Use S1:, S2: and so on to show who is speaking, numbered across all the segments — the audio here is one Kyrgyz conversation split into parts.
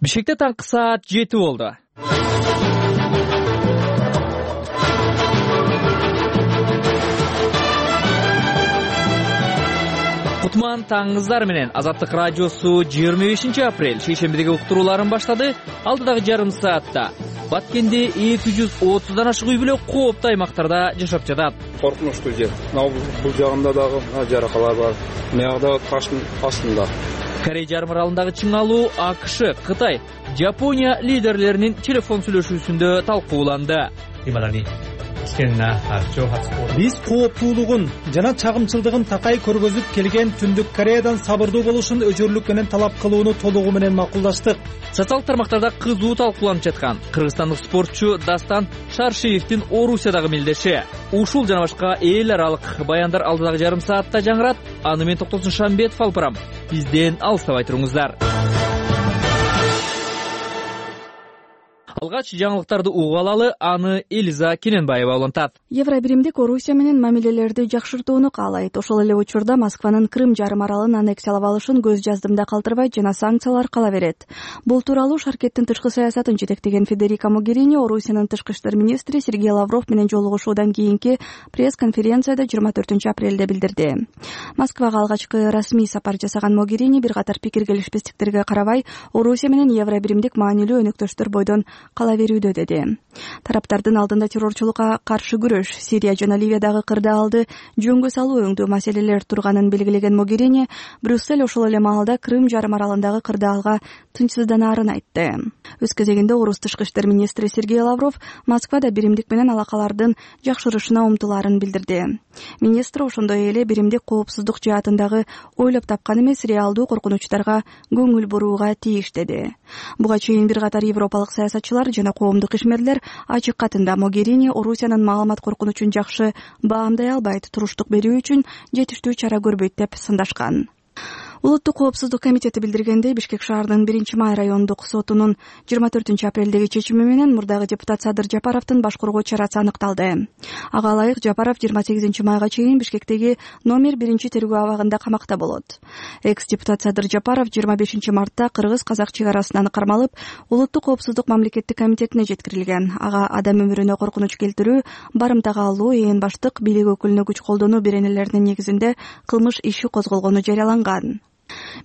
S1: Бишкекте таңкы саат 7 болду. Кутман таңыңыздар менен Азаттык радиосу 25 апрель шейшембидеги уктурууларын баштады. Алдыдагы жарым саатта Баткенде 230дан ашык үй бүлө кооптуу аймактарда жашап жатат.
S2: Коркунучтуу жер. Бул жагында дагы жаракалар бар. Мыягда таштын астында.
S1: Корей жарым аралындагы чыңалуу АКШ, Кытай, Жапония лидерлеринин телефон сүйлөшүүсүндө талкууланды.
S3: Биз кооптуулугун жана чагымчылдыгын такай көргөзүп келген Түндүк Кореядан сабырдуу болушун өчүрлүк менен талап кылууну толугу менен макулдаштык.
S1: Социалдык тармактарда кызуу талкууланып жаткан кыргызстандык спортчу Дастан Шаршиевдин Орусиядагы мелдеши. Ушул жана башка эл аралык баяндар алдыдагы жарым саатта жаңырат. Аны мен Токтосун Шамбетов алып барам. Бизден алыстабай туруңуздар. Алгач жаңылыктарды угуп алалы, аны Элиза Кененбаева улантат.
S4: Евробиримдик Орусия менен мамилелерди жакшыртууну каалайт. Ошол эле учурда Москванын Крым жарым аралын аннексиялап алышын көз жаздымда калтырбайт жана санкциялар кала берет. Бул тууралуу Шаркеттин тышкы саясатын жетектеген Федерика Могерини Орусиянын тышкы иштер министри Сергей Лавров менен жолугушуудан кийинки пресс-конференцияда 24 апрелде билдирди. Москвага алгачкы расмий сапар жасаган Могерини бир катар пикир келишпестиктерге карабай Орусия менен Евробиримдик маанилүү өнөктөштөр бойдон кала берүүдө деди. Тараптардын алдында террорчулукка каршы күрөш, Сирия жана Ливиядагы кырдаалды жөнгө салуу өңдүү маселелер турганын белгилеген Могерини Брюссель ошол эле маалда Крым жарым аралындагы кырдаалга тынчсызданаарын айтты. Өз кезегинде орус тышкы иштер министри Сергей Лавров Москвада биримдик менен алакалардын жакшырышына умтулаарын билдирди. Министр ошондой эле биримдик коопсуздук жаатындагы ойлоп тапкан эмес реалдуу коркунучтарга көңүл бурууга тийиш деди. Буга чейин бир катар европалык саясатчылар жана коомдук ишмерлер ачык катында Могерини Орусиянын маалымат коркунучун жакшы баамдай албайт, туруштук берүү үчүн жетиштүү чара көрбөйт деп сындашкан. Улуттук коопсуздук комитети билдиргендей, Бишкек шаарынын 1-май райондук сотунун 24 апрелдеги чечими менен мурдагы депутат Садыр Жапаровдун баш коргоо чарасы аныкталды. Ага ылайык Жапаров 28 майга чейин Бишкектеги номер 1 тергөө абагында камакта болот. Экс-депутат Садыр Жапаров 25 мартта кыргыз-казак чек арасынан кармалып, Улуттук коопсуздук мамлекеттик комитетине жеткирилген. Ага адам өмүрүнө коркунуч келтирүү, барымтага алуу, ээн баштык, бийлик өкүлүнө күч колдонуу беренелеринин негизинде кылмыш иши козголгону жарыяланган.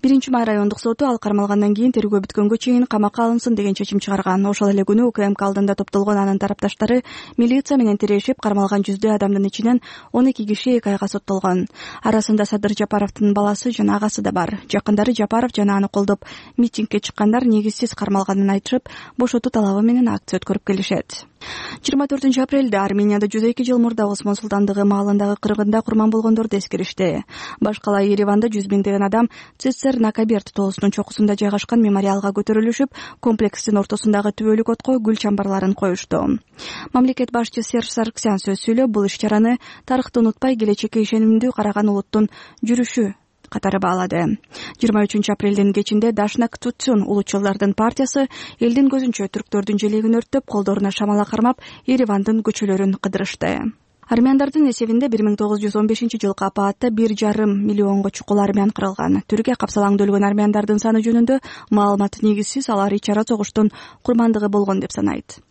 S4: 1-май райондук соту ал кармалгандан кийин тергөө бүткөнгө чейин камакка алынсын деген чечим чыгарган. Ошол эле күнү УКМК алдында топтолгон анын тарапташтары милиция менен тирешип, кармалган жүздөй адамдын ичинен 12 киши 2 айга соттолгон. Арасында Садыр Жапаровдун баласы жана агасы да бар. Жакындары Жапаров жана аны колдоп митингге чыккандар негизсиз кармалганын айтышып, бошотуу талабы менен акция өткөрүп келишет. 24 апрелде Арменияда 102 жыл мурда Осмон султандыгы маалындагы кыргында курман болгондорду эскеришти. Баш кала Ереванда 100 миңдеген адам Цесер Накаберт тоосунун чокусунда жайгашкан мемориалга көтөрүлүшүп, комплекстин ортосундагы түбөлүк отко гүл чамбарларын коюшту. Мамлекет башчысы Серж Саргсян сөз сүйлөп, бул иш-чараны тарыхты унутпай келечекке ишенимдүү караган улуттун жүрүшү катары баалады. 23 апрелдин кечинде Дашнак Тутсун улутчулдардын партиясы элдин көзүнчө түрктөрдүн желегин өрттөп, колдоруна шамала кармап, Еревандын көчөлөрүн кыдырышты. Армяндардын эсебинде 1915 жылкы апаатта 1,5 миллионго чукул армян кырылган. Түркия капсалаңда өлгөн армяндардын саны жөнүндө маалымат негизсиз, алар ич-ара согуштун курмандыгы болгон деп санайт.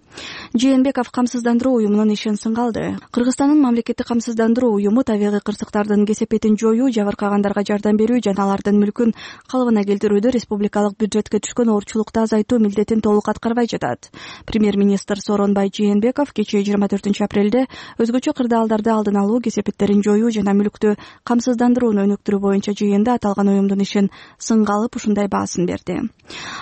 S4: Жээнбеков камсыздандыруу уюмунун ишин сынга алды. Кыргызстандын мамлекеттик камсыздандыруу уюму табигый кырсыктардын кесепетин жоюу, жабыркагандарга жардам берүү жана алардын мүлкүн калыбына келтирүүдө республикалык бюджетке түшкөн оорчулукту азайтуу милдетин толук аткарбай жатат. Премьер-министр Сооронбай Жээнбеков кечээ 24 апрелде өзгөчө кырдаалдарды алдын алуу, кесепеттерин жоюу жана мүлктү камсыздандырууну өнүктүрүү боюнча жыйында аталган уюмдун ишин сынга алып, ушундай баасын берди.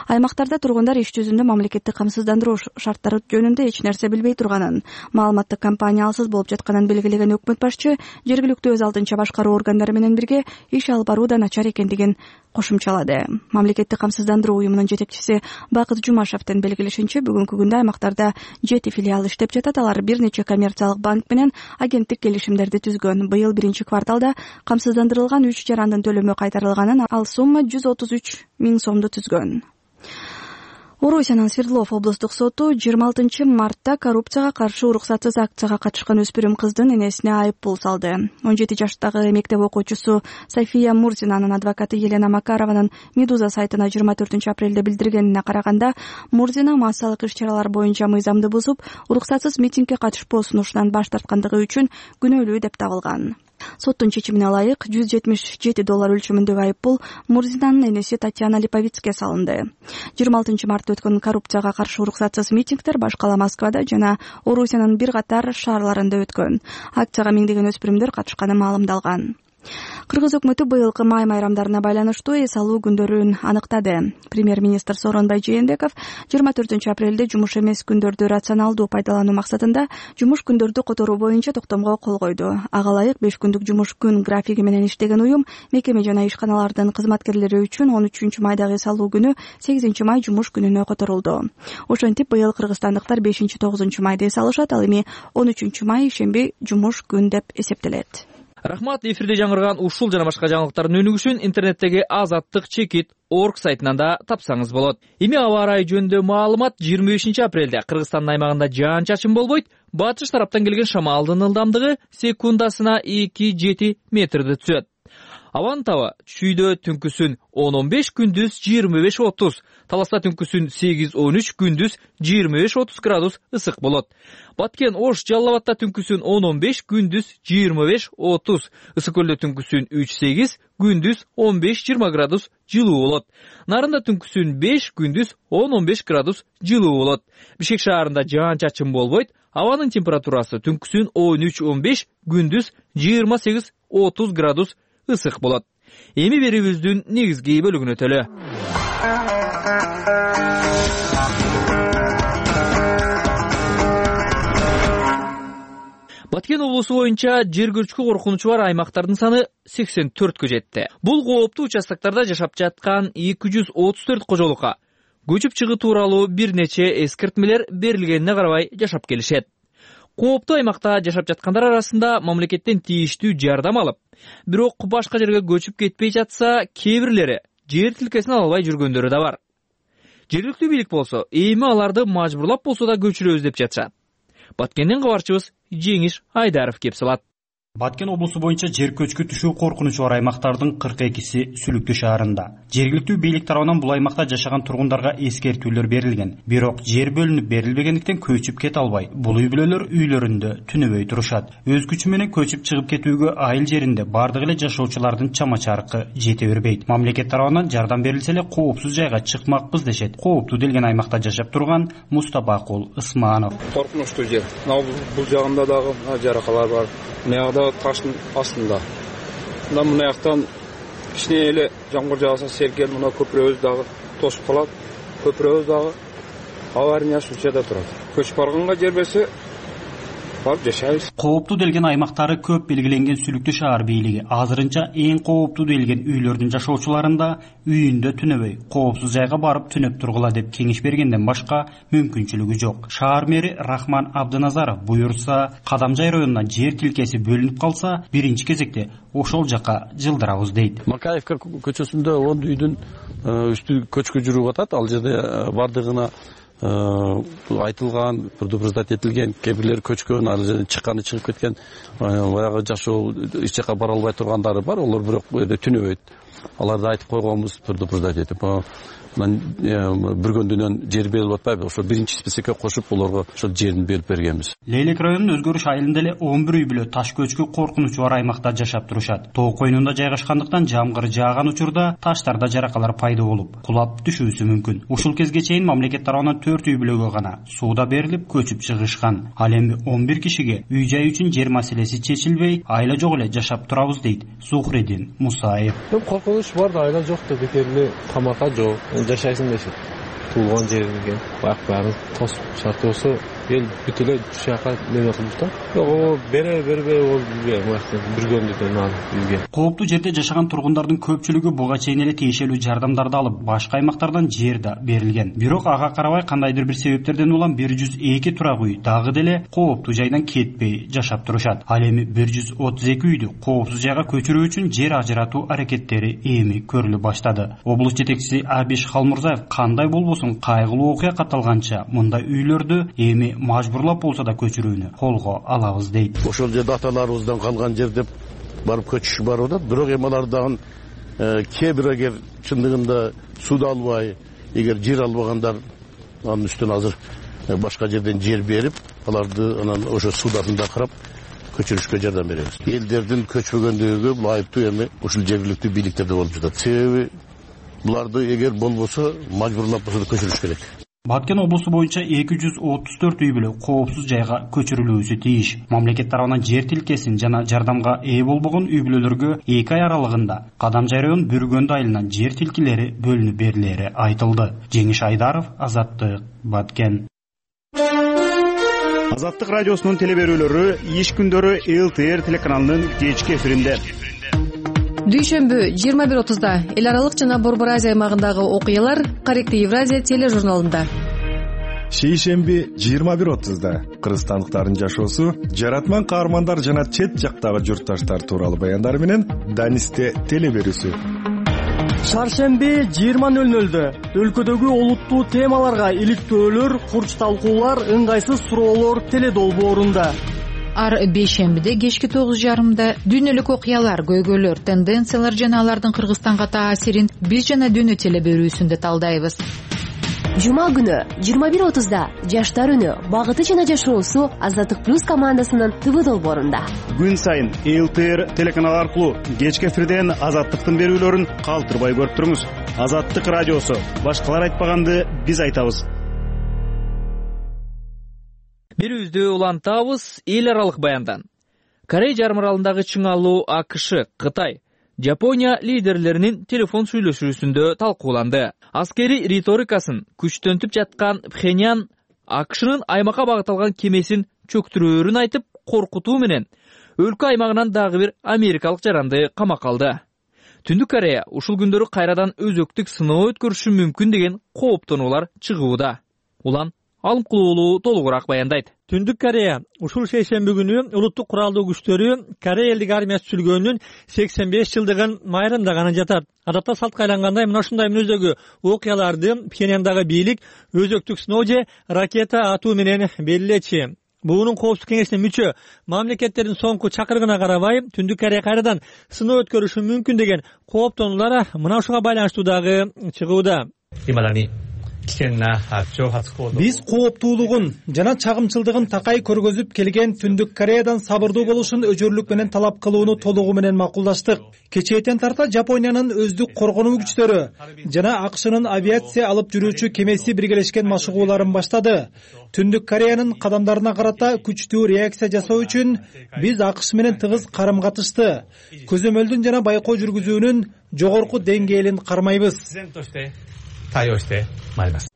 S4: Аймактарда тургундар иш жүзүндө мамлекеттик камсыздандыруу шарттары жөнүндө эч нерсе билбей турганын, маалыматтык кампания алсыз болуп жатканын белгилеген өкмөт башчы жергиликтүү өз алдынча башкаруу органдары менен бирге иш алып баруу да начар экендигин кошумчалады. Мамлекеттик камсыздандыруу уюмунун жетекчиси Бакыт Жумашевдин белгилешинче, бүгүнкү күндө аймактарда 7 филиал иштеп жатат. Алар бир нече коммерциялык банк менен агенттик келишимдерди түзгөн. Быйыл 1-кварталда камсыздандырылган 3 жарандын төлөмү кайтарылганын, ал сумма 133 миң сомду түзгөн. Орусиянын Свердлов облустук соту 26 мартта коррупцияга каршы уруксатсыз акцияга катышкан өспүрүм кыздын энесине айыппул салды. 17 жаштагы мектеп окуучусу София Мурзинанын адвокаты Елена Макарованын Медуза сайтына 24 апрелде билдиргенине караганда, Мурзина массалык иш-чаралар боюнча мыйзамды бузуп, уруксатсыз митингге катышпоо сунушунан баш тарткандыгы үчүн күнөөлүү деп табылган. Соттун чечимине ылайык $177 өлчөмүндөгү айыппул Мурзинанын энеси Татьяна Липовицке салынды. 26 мартта өткөн коррупцияга каршы уруксатсыз митингдер башкала Москвада жана Орусиянын бир катар шаарларында өткөн. Акцияга миңдеген өспүрүмдөр катышканы маалымдалган. Кыргыз өкмөтү быйылкы май майрамдарына байланыштуу эс алуу күндөрүн аныктады. Премьер-министр Сооронбай Жээнбеков 24 апрелде жумуш эмес күндөрдү рационалдуу пайдалануу максатында жумуш күндөрдү которуу боюнча токтомго кол койду. Ага ылайык 5 күндүк жумуш күн графиги менен иштеген уюм мекеме жана ишканалардын кызматкерлери үчүн 13 майдагы эс алуу күнү 8 май жумуш күнүнө которулду. Ошентип быйыл кыргызстандыктар 5-9 майда эс алышат, ал эми 13 май ишемби жумуш күн деп эсептелет.
S1: Рахмат. Эфирде жаңырган ушул жана башка жаңылыктардын өнүгүшүн интернеттеги azattik.org сайтынан да тапсаңыз болот. Эми аба ырайы жөнүндө маалымат. 25 апрелде Кыргызстандын аймагында жаан-чачын болбойт. Батыш тараптан келген шамалдын ылдамдыгы секундасына 2-7 метрди түзөт. Абанын таба чүйдө түнкүсүн 10-15, күндүз 25-30, таласта түнкүсүн 8-13, күндүз 25-30 градус ысык болот. Баткен Ош Жалал Абадта түнкүсүн 10-15, күндүз 25-30, Ысык көлдө түнкүсүн 3-8, күндүз 15-20 градус жылуу болот. Нарында түнкүсүн 5, күндүз 10-15 градус жылуу болот. Бишкек шаарында жаан-чачын болбойт. Абанын температурасы түнкүсүн 13-15, күндүз 28-30 градус ысык болот. Эми берүүбүздүн негизги бөлүгүнө өтөлү. Баткен облусу боюнча жер көчкү коркунучу бар аймактардын саны 84кө жетти. Бул кооптуу участоктарда жашап жаткан 234 кожолукка көчүп чыгуу тууралуу бир нече эскертмелер берилгенине карабай жашап келишет. Кооптуу аймакта жашап жаткандар арасында мамлекеттен тийиштүү жардам алып, бирок башка жерге көчүп кетпей жатса, кээ бирлери жер тилкесин ала албай жүргөндөрү да бар. Жергиликтүү бийлик болсо, эми аларды мажбурлап болсо да көчүрөбүз деп жатышат. Баткенден кабарчыбыз Жеңиш Айдаров кеп салат.
S5: Баткен облусу боюнча жер көчкү түшүү коркунучу бар аймактардын 42си Сүлүктүү шаарында. Жергиликтүү бийлик тарабынан бул аймакта жашаган тургундарга эскертүүлөр берилген. Бирок жер бөлүнүп берилбегендиктен көчүп кете албай, бул үй бүлөлөр үйлөрүндө түнөбөй турушат. Өз күчү менен көчүп чыгып кетүүгө айыл жеринде бардык эле жашоочулардын чама-чаркы жете бербейт. Мамлекет тарабынан жардам берилсе эле коопсуз жайга чыкмакпыз дешет. Кооптуу делген аймакта жашап турган Мустапакул Ысманов.
S2: Коркунучтуу жер. Бул жагында дагы жаракалар бар. Мынагы таштын астында. Мына жактан кичине эле жамгыр жааса селкел мына көпүрөбүз дагы тосуп калат. Көпүрөбүз дагы аварийный случайда турат. Көчүп барганга жер берсе, барып жашайбыз.
S5: Кооптуу делген аймактары көп белгиленген Сүлүктүү шаар бийлиги азырынча эң кооптуу делген үйлөрдүн жашоочуларында үйүндө түнөбөй, коопсуз жайга барып түнөп тургула деп кеңеш бергенден башка мүмкүнчүлүгү жок. Шаар мэри Рахман Абдыназаров буйрса, Кадамжай районунан жер тилкеси бөлүнүп калса, биринчи кезекте ошол жака жылдырабыз дейт.
S6: Макаевка көчөсүндө 10 үйдүн үстү көчкү жүрүп атат. Ал жерде бардыгына айтылган, предупреждать этилген, кээ бирлери көчкөн, ал жерден чыкканы чыгып кеткен, баягы жашоо эч жака бара албай тургандары бар. Олар бирок түнөбөйт. Аларды айтып койгонбуз, предупреждать этип. Бир күндөн жер берилип атпайбы? Ошо биринчи списокко кошуп, олорго ошол жерин берип бергенбиз.
S5: Лейлек районунун Өзгөрүш айылында эле 11 үй бүлө таш көчкү коркунучу бар аймакта жашап турушат. Тоо койнунда жайгашкандыктан жамгыр жааган учурда таштарда жаракалар пайда болуп, кулап түшүүсү мүмкүн. Ушул кезге чейин мамлекет тарабынан 4 үй бүлөгө гана сууда берилип көчүп чыгышкан. Ал эми 11 кишиге үй жай үчүн жер маселеси чечилбей, айла жок эле жашап турабыз дейт Зухридин Мусаев.
S7: Коркунуч бар да, айла жок да, бекерли тамакка жок. Жашайсың дешет. Туулган жериңге баарын тосуп шарты болсо эл бүт эле ушул жака неме кылып да. Жок, бербей ол бизге бүргөндүктөн бизге.
S5: Кооптуу жерде жашаган тургундардын көпчүлүгү буга чейин эле тиешелүү жардамдарды алып, башка аймактардан жер да берилген. Бирок ага карабай кандайдыр бир себептерден улам 102 турак үй дагы деле кооптуу жайдан кетпей жашап турушат. Ал эми 132 үйдү коопсуз жайга көчүрүү үчүн жер ажыратуу аракеттери эми көрүлө баштады. Облус жетекчиси Абиш Халмурзаев кандай болбосун кайгылуу окуя катталганча мындай үйлөрдү эми мажбурлап болсо да көчүрүүнү колго алабыз дейт.
S8: Ошол жерде аталарыбыздан калган жер деп барып көчүш бар да. Бирок эми алар дагы кээ бир эгер чындыгында суу албай, эгер жер албагандар анын үстүнө азыр башка жерден жер берип, аларды анан ошо судасында карап көчүрүшкө жардам беребиз. Элдердин көчпөгөндүгүгө бул айыптуу эми ушул жергиликтүү бийликтерде болуп жатат. Себеби буларды эгер болбосо мажбурлап болсо да көчүрүш керек.
S5: Баткен облусу боюнча 234 үй бүлө коопсуз жайга көчүрүлүүсү тийиш. Мамлекет тарабынан жер тилкесин жана жардамга ээ болбогон үй бүлөлөргө 2 ай аралыгында Кадам Жайрыгын Бүргөндү айылынан жер тилкелери бөлүнүп берилери айтылды. Жеңиш Айдаров, Азаттык, Баткен.
S9: Азаттык радиосунун теле берүүлөрү иш күндөрү ЛТР телеканалынын кечки эфиринде.
S10: Дүйшөмбү 21:30 эл аралык жана Борбор Азия аймагындагы окуялар Корректив Евразия тележурналында.
S11: Шейшемби 21:30 кыргызстандыктардын жашоосу, жаратман каармандар жана чет жактагы журтташтар тууралуу баяндар менен Данисте теле берүүсү.
S12: Шаршемби 20:00 өлкөдөгү олуттуу темаларга иликтөөлөр, курч талкуулар, ыңгайсыз суроолор теле долбоорунда.
S13: Ар бейшембиде кечки 9:30 дүйнөлүк окуялар, көйгөйлөр, тенденциялар жана алардын Кыргызстанга таасирин биз жана дүйнө теле берүүсүндө талдайбыз.
S14: Жума күнү 21:30 жаштар үнү, багыты жана жашоосу Азаттык плюс командасынын ТВ долбоорунда.
S9: Күн сайын ЛТР телеканалы аркылуу кечки эфирден Азаттыктын берүүлөрүн калтырбай көрүп туруңуз. Азаттык радиосу, башкалар айтпаганды биз айтабыз.
S1: Берүүбүздү улантабыз эл аралык баяндан. Корей жарым аралындагы чыңалуу АКШ, Кытай, Жапония лидерлеринин телефон сүйлөшүүсүндө талкууланды. Аскери риторикасын күчтөнтүп жаткан Пхеньян АКШнын аймакка багытталган кемесин чөктүрөөрүн айтып, коркутуу менен өлкө аймагынан дагы бир америкалык жаранды камакка алды. Түндүк Корея ушул күндөрү кайрадан өзөктүк сыноо өткөрүшү мүмкүн деген кооптонуулар чыгууда. Улан Алымкулуулу толугураак баяндайт.
S12: Түндүк Корея ушул шейшемби күнү улуттук куралдуу күчтөрү Корея элдик армиясы түзүлгөнүнүн 85 жылдыгын майрамдаганы жатат. Адатта салтка айлангандай мына ушундай мүнөздөгү окуяларды Пхеньяндагы бийлик өзөктүк сыноо же ракета атуу менен белгилечи. Буунун коопсуздук кеңешине мүчө мамлекеттердин соңку чакырыгына карабай, Түндүк Корея кайрадан сыноо өткөрүшү мүмкүн деген кооптонуулар мына ушуга байланыштуу дагы чыгууда.
S3: Биз кооптуулугун жана чагымчылдыгын такай көргөзүп келген Түндүк Кореядан сабырдуу болушун өчөрлүк менен талап кылууну толугу менен макулдаштык. Кечээттен тарта Жапониянын өздүк коргонуу күчтөрү жана АКШнын авиация алып жүрүүчү кемеси биргелешкен машыгууларын баштады. Түндүк Кореянын кадамдарына карата күчтүү реакция жасоо үчүн биз АКШ менен тыгыз карым-катышты. Көзөмөлдүн жана байкоо жүргүзүүнүн жогорку деңгээлин кармайбыз.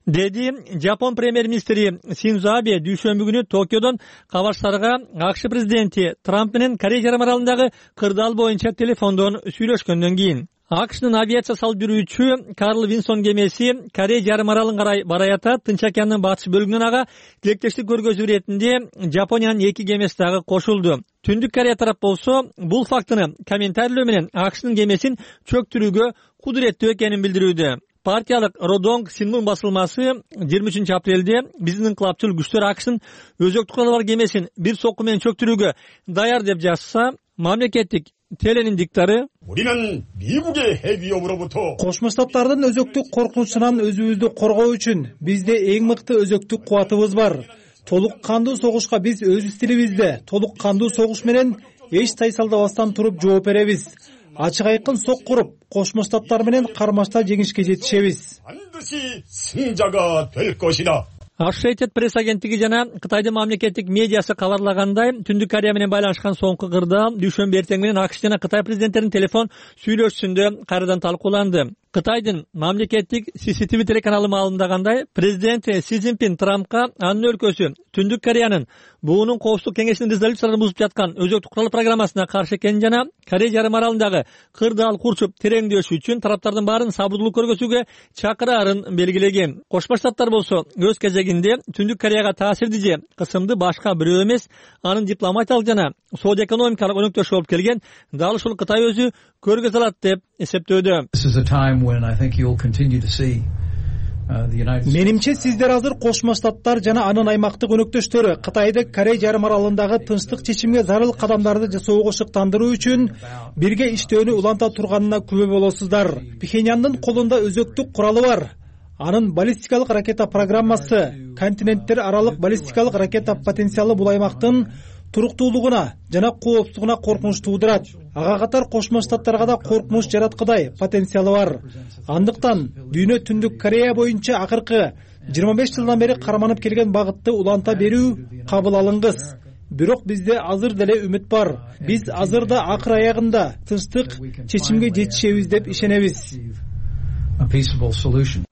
S12: Деди Жапон премьер-министри Синдзо Абе дүйшөмбү күнү Токиодон кабарчыларга АКШ президенти Трамп менен Корея жарым аралындагы кырдаал боюнча телефондон сүйлөшкөндөн кийин. АКШнын авиация салып жүрүүчү Карл Винсон кемеси Корея жарым аралын карай бараята Тынч океандын батыш бөлүгүнөн ага тилектештик көргөзүү иретинде Жапониянын 2 кемеси дагы кошулду. Түндүк Корея тарап болсо бул фактыны комментарийлөө менен АКШнын кемесин чөктүрүүгө кудуреттүү экенин билдирүүдө. Партиялык Родонг Синмун басылмасы 23 апрелде биздин инкылапчыл күчтөр АКШнын өзөктүк куралы бар кемесин бир сокку менен чөктүрүүгө даяр деп жазса, мамлекеттик теленин диктары
S3: Кошмо Штаттардын өзөктүк коркунучунан өзүбүздү коргоо үчүн бизде эң мыкты өзөктүк кубатыбыз бар. Толук кандуу согушка биз өз стилибизде толук кандуу согуш менен эч тайсалдабастан туруп жооп беребиз. Ачык айкын сок куруп, Кошмо Штаттар менен кармашта жеңишке жетишебиз.
S12: Associated Press агенттиги жана Кытайдын мамлекеттик медиасы кабарлагандай, Түндүк Корея менен байланышкан соңку кырдаал дүйшөмбү эртең менен АКШ жана Кытай президенттеринин телефон сүйлөшүүсүндө кайрадан талкууланды. Кытайдын мамлекеттик CCTV телеканалы маалымдагандай, президент Си Цзиньпин Трампка анын өлкөсү Түндүк Кореянын буунун коопсуздук кеңешинин резолюцияларын бузуп жаткан өзөктүк курал программасына каршы экенин жана Корея жарым аралындагы кырдаал курчуп тереңдөшү үчүн тараптардын баарын сабырдуулук көргөзүүгө чакыраарын белгилеген. Кошмо Штаттар болсо өз кезегинде Түндүк Кореяга таасирдүү же кысымды башка бирөө эмес, анын дипломатиялык жана соода экономикалык өнөктөшү болуп келген дал ушул Кытай өзү көргөзө алат деп эсептөөдө.
S3: Менимче сиздер азыр Кошмо Штаттар жана анын аймактык өнөктөштөрү Кытайды Корея жарым аралындагы тынчтык чечимге зарыл кадамдарды жасоого шыктандыруу үчүн бирге иштөөнү уланта турганына күбө болосуздар. Пхеньяндын колунда өзөктүк куралы бар. Анын баллистикалык ракета программасы континенттер аралык баллистикалык ракета потенциалы бул аймактын туруктуулугуна жана коопсуздугуна коркунуч туудурат. Ага катар Кошмо Штаттарга да коркунуч жараткыдай потенциалы бар. Андыктан дүйнө Түндүк Корея боюнча акыркы 25 жылдан бери карманып келген багытты уланта берүү кабыл алынгыс. Бирок бизде азыр деле үмүт бар. Биз азыр да акыр аягында тынчтык чечимге жетишебиз деп ишенебиз.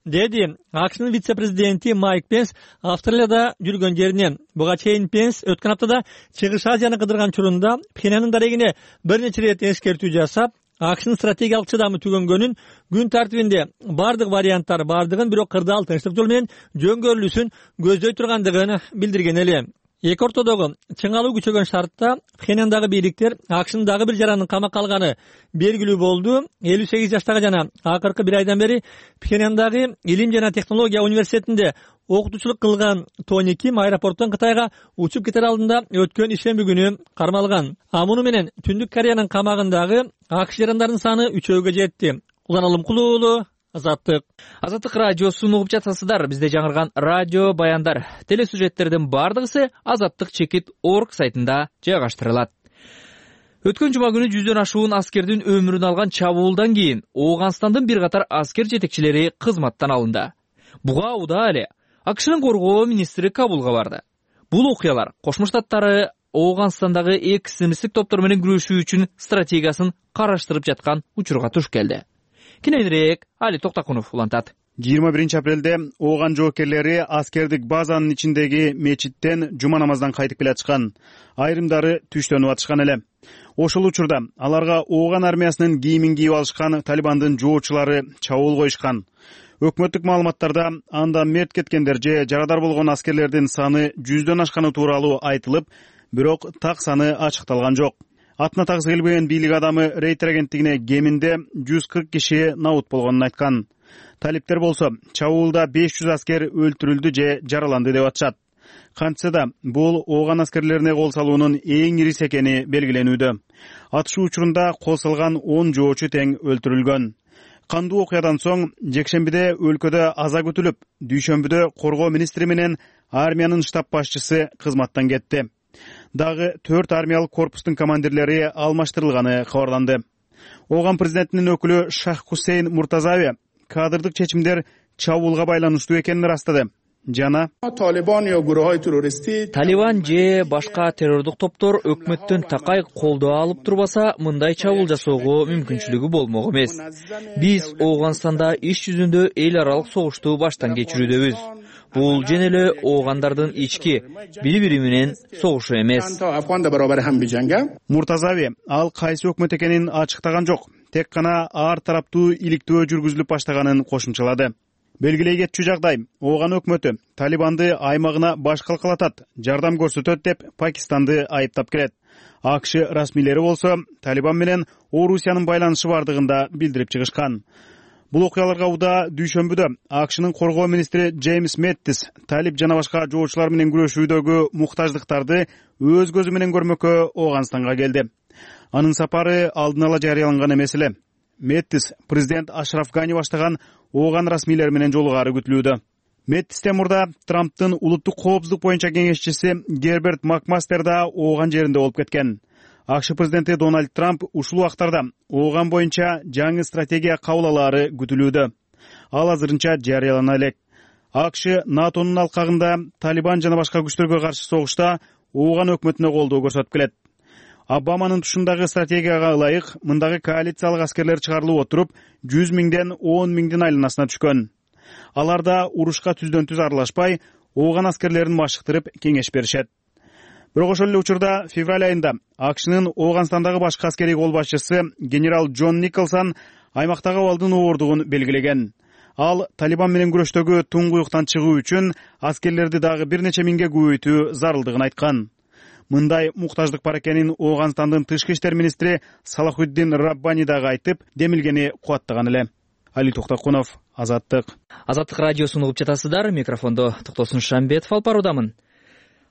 S12: Деди АКШнын вице-президенти Майк Пенс Австралияда жүргөн жеринен. Буга чейин Пенс өткөн аптада Чыгыш Азияны кыдырган учурунда Пхеньяндын дарегине бир нече ирет эскертүү жасап, АКШнын стратегиялык чыдамы түгөнгөнүн, күн тартибинде бардык варианттар бардыгын, бирок кырдаал тынчтык жол менен жөнгөрүлүүсүн көздөй тургандыгын билдирген эле. Эки ортодогу чыңалуу күчөгөн шартта Пхеньяндагы бийликтер АКШнын дагы бир жаранын камакка алганы белгилүү болду. 58 жаштагы жана акыркы бир айдан бери Пхеньяндагы Илим жана технология университетинде окутуучулук кылган Тони Ким аэропорттон Кытайга учуп кетер алдында өткөн ишемби күнү кармалган. Муну менен Түндүк Кореянын камагындагы АКШ жарандарынын саны 3-гө жетти. Улан Кулуулу, Азаттык.
S1: Азаттык радиосун угуп жатасыздар. Бизде жаңырган радио баяндар, телесюжеттердин бардыгысы azattik.org сайтында жайгаштырылат. Өткөн жума күнү 100дөн ашуун аскердин өмүрүн алган чабуулдан кийин Ооганстандын бир катар аскер жетекчилери кызматтан алынды. Буга убада эле АКШнын коргоо министри Кабулга барды. Бул окуялар Кошмо Штаттары Ооганстандагы экстремисттик топтор менен күрөшүү үчүн стратегиясын караштырып жаткан учурга туш келди. Кененирээк Али Токтакунов улантат.
S9: 21-апрелде Ооган жоокерлери аскердик базанын ичиндеги мечиттен жума намаздан кайтып келатышкан. Айрымдары түштөнүп атышкан эле. Ошол учурда аларга Ооган армиясынын кийимин кийип алышкан Талибандын жоочулары чабуул коюшкан. Өкмөттүк маалыматтарда анда мерт кеткендер же жарадар болгон аскерлердин саны 100дөн ашканы тууралуу айтылып, бирок так саны ачыкталган жок. Атына тагысы келбеген бийлик адамы Рейтер агенттигине кеминде 140 киши набут болгонун айткан. Талиптер болсо чабуулда 500 аскер өлтүрүлдү же жараланды деп атышат. Кантсе да бул Ооган аскерлерине кол салуунун эң ирisi экени белгиленүүдө. Атышуу учурунда косулган 10 жоочу тең өлтүрүлгөн. Кандуу окуядан соң жекшембиде өлкөдө аза күтүлүп, дүйшөмбүдө коргоо министри менен армиянын штаб башчысы кызматтан кетти. Дагы 4 армиялык корпустун командирлери алмаштырылганы кабарланды. Ооган президентинин өкүлү Шах Хусейн Муртазави кадрдык чечимдер чабуулга байланыштуу экенин ырастады. Жана
S1: Талибан же башка террордук топтор өкмөттөн такай колдоо алып турбаса, мындай чабуул жасоого мүмкүнчүлүгү болмок эмес. Биз Ооганстанда иш жүзүндө эл аралык согушту баштан кечирүүдөбүз. Бул жөн эле оогандардын ички бири-бири менен согушу эмес.
S9: Муртазави ал кайсы өкмөт экенин ачыктаган жок. Тек гана ар тараптуу иликтөө жүргүзүлүп баштаганын кошумчалады. Белгилей кетчү жагдай Ооган өкмөтү Талибанды аймагына баш калкалатат, жардам көрсөтөт деп Пакистанды айыптап келет. АКШ расмийлери болсо Талибан менен Орусиянын байланышы бардыгында билдирип чыгышкан. Бул окуяларга убада дүйшөмбүдө АКШнын коргоо министри Джеймс Мэттис талип жана башка жоочулар менен күрөшүүдөгү муктаждыктарды өз көзү менен көрмөккө Ооганстанга келди. Анын сапары алдын ала жарыяланган эмес эле. Мэттис президент Ашраф Гани баштаган Ооган расмийлери менен жолугаары күтүлүүдө. Мэттистен мурда Трамптын улуттук коопсуздук боюнча кеңешчиси Герберт Макмастер да Ооган жеринде болуп кеткен. АКШ президенти Дональд Трамп ушул убактарда Ооган боюнча жаңы стратегия кабыл алаары күтүлүүдө. Ал азырынча жарыялана элек. АКШ НАТОнун алкагында Талибан жана башка күчтөргө каршы согушта Ооган өкмөтүнө колдоо көрсөтүп келет. Обаманын тушундагы стратегияга ылайык мындагы коалициялык аскерлер чыгарылып отуруп 100 миңден 10 миңдин айланасына түшкөн. Алар да урушка түздөн түз аралашпай, ооган аскерлерин машыктырып кеңеш беришет. Бирок ошол эле учурда февраль айында АКШнын Ооганстандагы башкы аскерий кол башчысы генерал Джон Николсон аймактагы абалдын оордугун белгилеген. Ал Талибан менен күрөштөгү туңгуюктан чыгуу үчүн аскерлерди дагы бир нече миңге көбөйтүү зарылдыгын айткан. Мындай муктаждык бар экенин Ооганстандын тышкы иштер министри Салахуддин Раббани дагы айтып, демилгени кубаттаган эле. Али Токтокунов, Азаттык.
S1: Азаттык радиосун угуп жатасыздар. Микрофондо Токтосун Шамбетов алып баруудамын.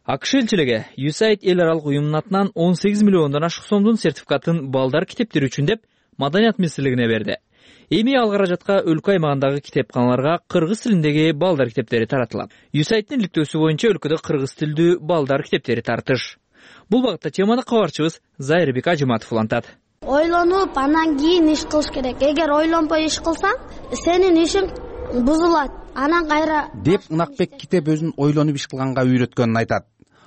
S1: АКШ элчилиги USAID эл аралык уюмунун атынан 18 миллиондон ашык сомдун сертификатын балдар китептери үчүн деп Маданият министрлигине берди. Эми ал каражатка өлкө аймагындагы китепканаларга кыргыз тилиндеги балдар китептери таратылат. USAIDдин иликтөөсү боюнча өлкөдө кыргыз тилдүү балдар китептери тартыш. Бул багытта теманы кабарчыбыз Зайырбек Ажыматов улантат.
S15: Ойлонуп, анан кийин иш кылыш керек. Эгер ойлонбой иш кылсаң, сенин ишиң бузулат. Анан кайра
S16: деп Ынакбек китеп өзүн ойлонуп иш кылганга үйрөткөнүн айтат.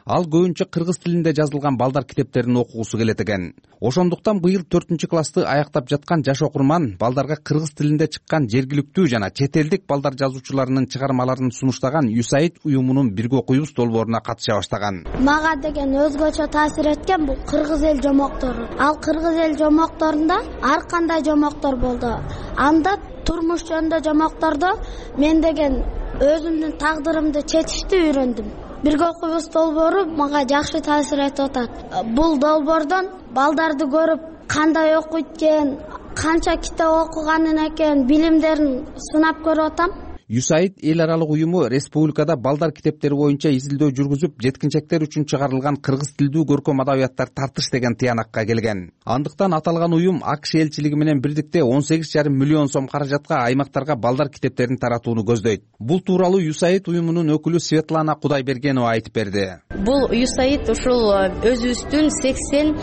S16: Ал көбүнчө кыргыз тилинде жазылган балдар китептерин окугусу келет экен. Ошондуктан быйыл 4-классты аяктап жаткан жаш окурман балдарга кыргыз тилинде чыккан жергиликтүү жана чет элдик балдар жазуучуларынын чыгармаларын сунуштаган USAID уюмунун бирге окуйбуз долборуна катыша баштаган.
S15: Мага деген өзгөчө таасир эткен бул кыргыз эл жомоктору. Ал кыргыз эл жомокторунда ар кандай жомоктор болду. Анда турмуш жөнүндө жомоктордо мен деген өзүмдүн тагдырымды четишти үйрөндүм. Бирге окуйбуз долбоору мага жакшы таасир этип атат. Бул долбоордон балдарды көрүп, кандай окуйт экен, канча китеп окуганын экен, билимдерин сынап көрүп атам.
S16: USAID эл аралык уюму республикада балдар китептери боюнча изилдөө жүргүзүп, жеткинчектер үчүн чыгарылган кыргыз тилдүү көркөм адабияттар тартыш деген тыянакка келген. Андыктан аталган уюм АКШ элчилиги менен бирдикте 18,5 миллион сом каражатка аймактарга балдар китептерин таратууну көздөйт. Бул тууралуу USAID уюмунун өкүлү Светлана Кудайбергенова айтып берди.
S17: Бул USAID ушул өзүбүздүн 80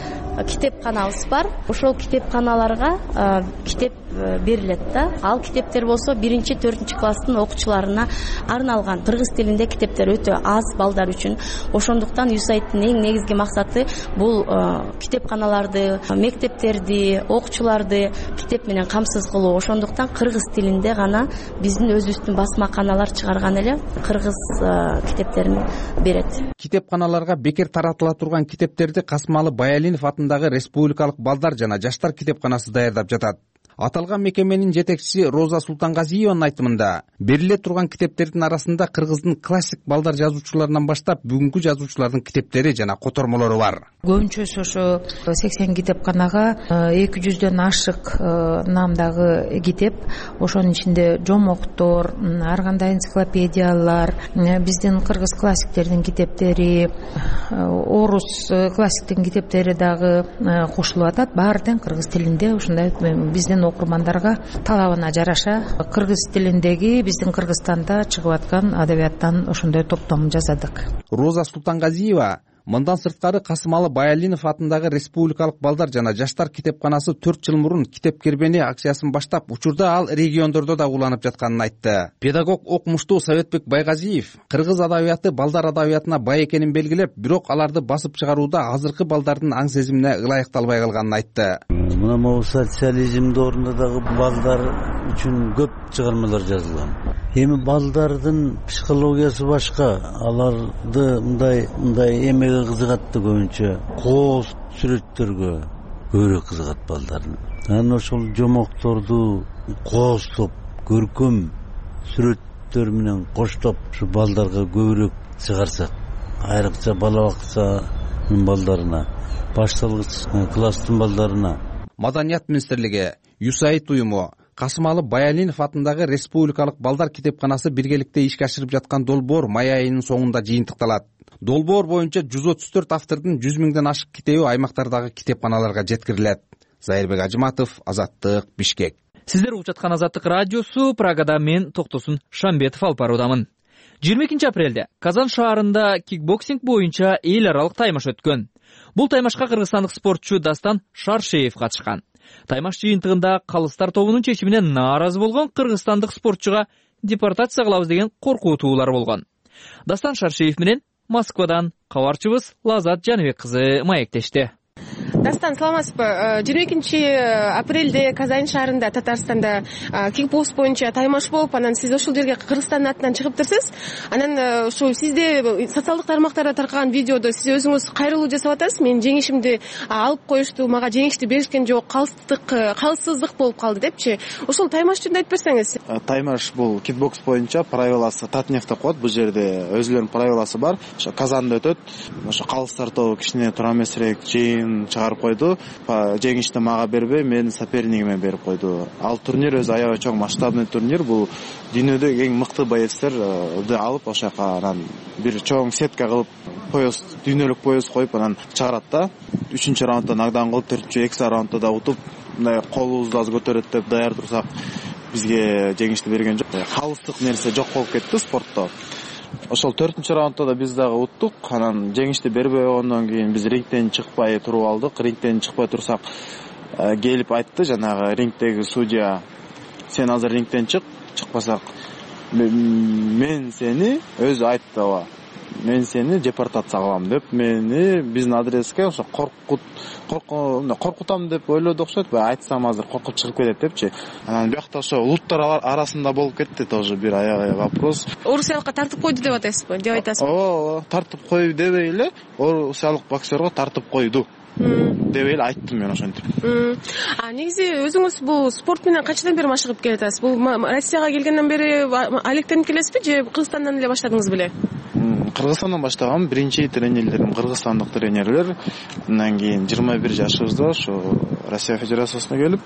S17: китепканабыз бар. Ошол китепканаларга китеп берилет да. Ал китептер болсо 1-4 класстын окуучуларына арналган. Кыргыз тилинде китептер өтө аз балдар үчүн. Ошондуктан USAIDдин эң негизги максаты бул китепканаларды, мектептерди, окуучуларды китеп менен камсыз кылуу. Ошондуктан кыргыз тилинде гана биздин өзүбүздүн басмаканалар чыгарган эле кыргыз китептерин берет.
S16: Китепканаларга бекер таратыла турган китептерди Касымалы Баялинов атындагы Республикалык балдар жана жаштар китепканасы даярдап жатат. Аталган мекеменин жетекчиси Роза Султангазиеванын айтымында, бериле турган китептердин арасында кыргыздын классик балдар жазуучуларынан баштап бүгүнкү жазуучулардын китептери жана котормолору бар.
S13: Көбүнчөсү ошо 80 китепканага 200дөн ашык намдагы китеп, ошонун ичинде жомоктор, ар кандай энциклопедиялар, биздин кыргыз классиктердин китептери, орус классиктин китептери дагы кошулуп атат. Баары тең кыргыз тилинде ушундай биздин окурмандарга талабына жараша кыргыз тилиндеги биздин Кыргызстанда чыгып аткан адабияттан ошондой топтом жасадык.
S16: Роза Султангазиева мындан сырткары Касымалы Баялинов атындагы Республикалык балдар жана жаштар китепканасы 4 жыл мурун китеп кербени акциясын баштап, учурда ал региондордо да уланып жатканын айтты. Педагог окумуштуу Советбек Байгазиев кыргыз адабияты балдар адабиятына бай экенин белгилеп, бирок аларды басып чыгарууда азыркы балдардын аң сезимине ылайыкталбай калганын айтты.
S18: Мына могу социализм доорунда дагы балдар үчүн көп чыгармалар жазылган. Эми балдардын психологиясы башка. Аларды мындай эмеге кызыгат да көбүнчө. Кооз сүрөттөргө көбүрөөк кызыгат балдардын. Анан ошол жомокторду кооздоп, көркөм сүрөттөр менен коштоп ушу балдарга көбүрөөк чыгарсак, айрыкча бала бакчанын балдарына, башталгыч класстын балдарына.
S16: Маданият министрлиги, USAID уюму, Касымалы Баялинов атындагы Республикалык балдар китепканасы биргеликте ишке ашырып жаткан долбоор май айынын соңунда жыйынтыкталат. Долбоор боюнча 134 автордун 100 миңден ашык китеби аймактардагы китепканаларга жеткирилет. Зайырбек Ажыматов, Азаттык, Бишкек.
S1: Сиздер угуп жаткан Азаттык радиосу, Прагада мен Токтосун Шамбетов алып баруудамын. 22 апрелде Казан шаарында кикбоксинг боюнча эл аралык таймаш өткөн. Бул таймашка кыргызстандык спортчу Дастан Шаршеев катышкан. Таймаш жыйынтыгында калыстар тобунун чечимине нааразы болгон кыргызстандык спортчуга депортация кылабыз деген коркутуулар болгон. Дастан Шаршеев менен Москвадан кабарчыбыз Лазат Жаныбек кызы маектешти.
S19: Дастан, саламатсызбы? 22 апрелде Казань шаарында Татарстанда кикбокс боюнча таймаш болуп, анан сиз ошол жерге Кыргызстандын атынан чыгыптырсыз. Анан ошол сизде социалдык тармактарда таркаган видеодо сиз өзүңүз кайрылуу жасап атасыз. Мен жеңишимди алып коюшту, мага жеңишти беришкен жок, калыссыздык болуп калды депчи. Ошол таймаш жөнүндө айтып берсеңиз.
S20: Таймаш бул кикбокс боюнча правиласы Татнефть деп коет. Бул жерде өзүлөрүнүн правиласы бар. Ошо Казанда өтөт. Ошо калыстар тобу кичине туура эмесирээк жыйын чыгарып койду. Жеңишти мага бербей, менин сопернигиме берип койду. Ал турнир өзү аябай чоң масштабный турнир. Бул дүйнөдөгү эң мыкты боецтерди алып, ошол жака анан бир чоң сетка кылып пояс, дүйнөлүк пояс коюп анан чыгарат да. 3-чү раундда нокдаун кылып, 4-чү экстра раундда да утуп, мындай колубузду аз көтөрөт деп даяр турсак, бизге жеңишти берген жок. Калыстык нерсе жок болуп кетти спортто. Ошол 4-чү раундда да биз дагы уттук. Анан жеңишти бербей койгондон кийин биз рингден чыкпай туруп алдык. Рингден чыкпай турсак, келип айтты жанагы рингдеги судья: "Сен азыр рингден чык, чыкпасак мен сени", өзү айтты, ооба, "мен сени депортация кылам" деп, мени биздин адреске ошо коркутам деп ойлоду окшойт. Айтсам азыр коркуп чыгып кетет депчи. Анан биякта ошо улуттар арасында болуп кетти тоже бир аябай вопрос.
S19: Орусиялыкка тартып койду деп атасызбы? Деп айтасызбы?
S20: Ооба, тартып кой дебей эле, орусиялык боксерго тартып койду деп эле айттым мен ошентип.
S19: Негизи өзүңүз бул спорт менен канчадан бери машыгып келатасыз? Бул Россияга келгенден бери алектенип келесизби же Кыргызстандан эле баштадыңыз беле?
S20: Кыргызстандан баштагам. Биринчи тренерлерим кыргызстандык тренерлер. Андан кийин 21 жашыбызда ошо Россия Федерациясына келип,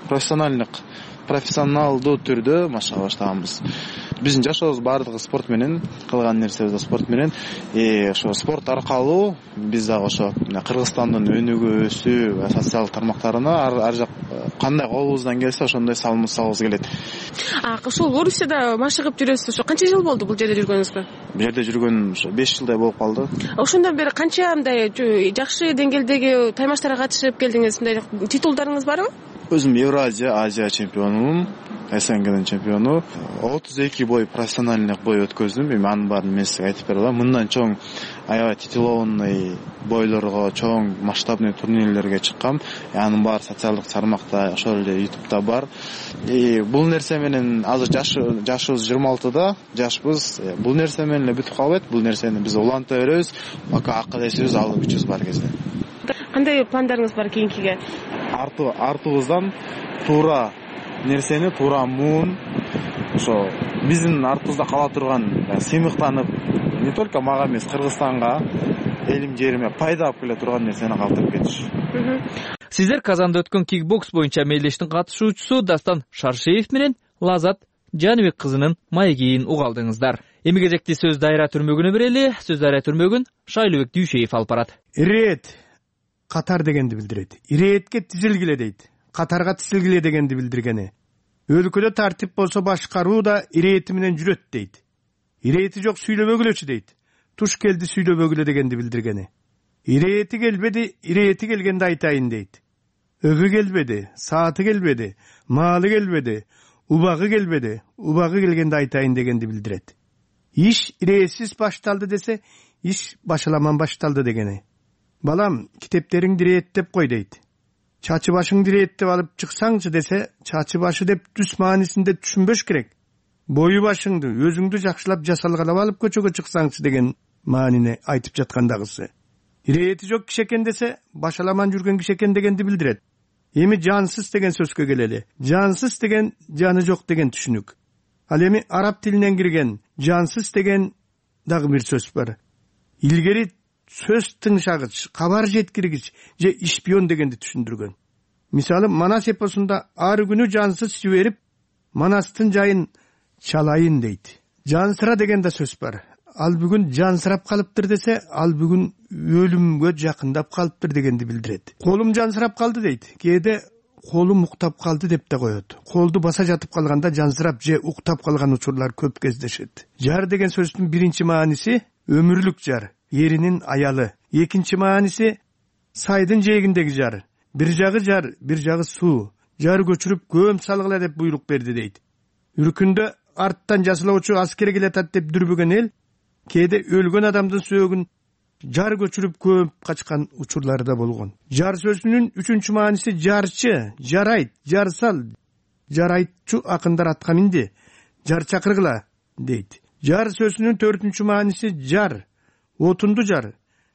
S20: профессионалдуу түрдө машыга баштаганбыз. Биздин жашообуз баардыгы спорт менен, кылган нерсебиз да спорт менен. Ошо спорт аркылуу биз дагы ошо Кыргызстандын өнүгүү, өсүү, социалдык тармактарына ар жак кандай колубуздан келсе ошондой салымыбызды салгыбыз келет.
S19: Ошол Орусияда машыгып жүрөсүз. Ошо канча жыл болду бул жерде жүргөнүңүзгө?
S20: Бул жерде жүргөнүм ошо 5 жылдай болуп калды.
S19: Ошондон бери канча мындай жакшы деңгээлдеги таймаштарга катышып келдиңиз? Мындай титулдарыңыз барбы?
S20: Өзүм Евразия, Азия чемпионумун, СНГдин чемпиону. 32 бой профессиональный бой өткөздүм. Эми анын баарын мен сизге айтып бере алам. Мындан чоң аябай титулованный бойлорго, чоң масштабный турнирлерге чыккам. Анын баары социалдык тармакта, ошол эле YouTube'да бар. Бул нерсе менен азыр жашыбыз 26да, жашпыз. Бул нерсе менен эле бүтүп калбайт. Бул нерсени биз уланта беребиз. Пока акыл-эсибиз, алып күчүбүз бар кезде.
S19: Кандай пландарыңыз бар кийинкиге?
S20: Артыбыздан туура нерсени, туура муун, ошо биздин артыбызда кала турган сыймыктанып, не только мага эмес, Кыргызстанга, элим жериме пайда алып келе турган нерсени калтырып кетиш.
S1: Сиздер Казанда өткөн кикбокс боюнча мелдештин катышуучусу Дастан Шаршеев менен Лазат Жаныбек кызынын маегин угалдыңыздар. Эми кезекти сөз дайра түрмөгүнө берели. Сөз дайра түрмөгүн Шайлообек Дүйшеев алып барат.
S21: Ирет катар дегенди билдирет. Иретке тизилгиле дейт. Катарга тизилгиле дегенди билдиргени. Өлкөдө тартип болсо башкаруу да ирети менен жүрөт дейт. Ирети жок сүйлөбөгүлөчү дейт. Туш келди сүйлөбөгүлө дегенди билдиргени. Ирети келбеди, ирети келгенде айтайын дейт. Өгү келбеди, сааты келбеди, маалы келбеди, убагы келбеди, убагы келгенде айтайын дегенди билдирет. Иш иретсиз башталды десе, иш башаламан башталды дегени. Балам, китептериңди иреттеп кой дейт. Чачы башыңды иреттеп алып чыксаңчы десе, чачы башы деп түс маанисинде түшүнбөш керек. Бою башыңды, өзүңдү жакшылап жасалгалап алып көчөгө чыксаңчы деген маанини айтып жаткандагысы. Ирети жок киши экен десе, башаламан жүргөн киши экен дегенди билдирет. Эми жансыз деген сөзгө келели. Жансыз деген жаны жок деген түшүнүк. Ал эми араб тилинен кирген жансыз деген дагы бир сөз бар. Илгери сөз тыңшагыч, кабар жеткиргич же ишпион дегенди түшүндүргөн. Мисалы, Манас эпосунда ар күнү жансыз жиберип, Манастын жайын чалайын дейт. Жансыра деген да сөз бар. Ал бүгүн жансырап калыптыр десе, ал бүгүн өлүмгө жакындап калыптыр дегенди билдирет. Колум жансырап калды дейт. Кээде колум уктап калды деп да коет. Колду баса жатып калганда жансырап же уктап калган учурлар көп кездешет. Жар деген сөздүн биринчи мааниси өмүрлүк жар, эринин аялы. Экинчи мааниси сайдын жээгиндеги жар. Бир жагы суу. Жар көчүрүп көм салгыла деп буйрук берди дейт. Үркүндө арттан жасылоочу аскер келатат деп дүрбөгөн эл кээде өлгөн адамдын сөөгүн жар көчүрүп көп качкан учурлары да болгон. Жар сөзүнүн 3 мааниси жарчы, жарайт, жарсал, жарайтчу акындар атка минди, жар чакыргыла дейт. Жар сөзүнүн 4 мааниси жар, отунду жар,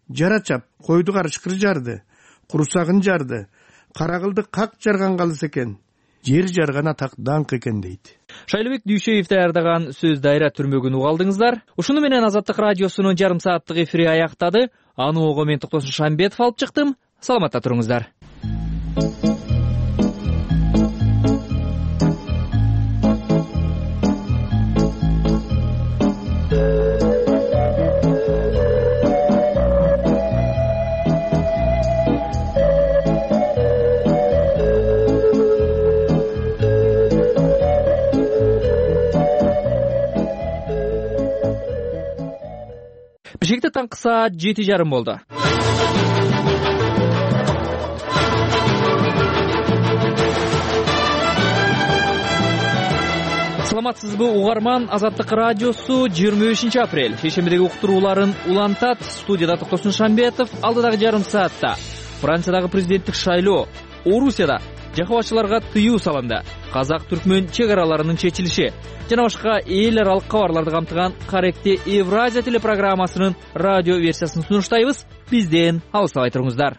S21: жара чап, койду карышкыр жарды, курсагын жарды, карагылды как жарган калыс экен, жер жарган атак даңк экен дейт.
S1: Шайлыбек Дүйшеев даярдаган сөз дайра түрмөгүн угалдыңыздар. Ушуну менен Азаттык радиосунун жарым сааттык эфири аяктады. Аны ого мен Токтосун Шамбетов алып чыктым. Саламатта туруңуздар. Бишкекте таңкы саат 7:30 болду. Саламатсызбы угарман, Азаттык радиосу 25 апрель шейшембидеги уктурууларын улантат. Студияда Токтосун Шамбетов. Алдыдагы жарым саатта Франциядагы президенттик шайлоо, Орусияда жакыбатчыларга тыюу салынды, казак-түркмөн чек араларынын чечилиши жана башка эл аралык кабарларды камтыган Каректи Евразия телепрограммасынын радио версиясын сунуштайбыз. Бизден алыстабай туруңуздар.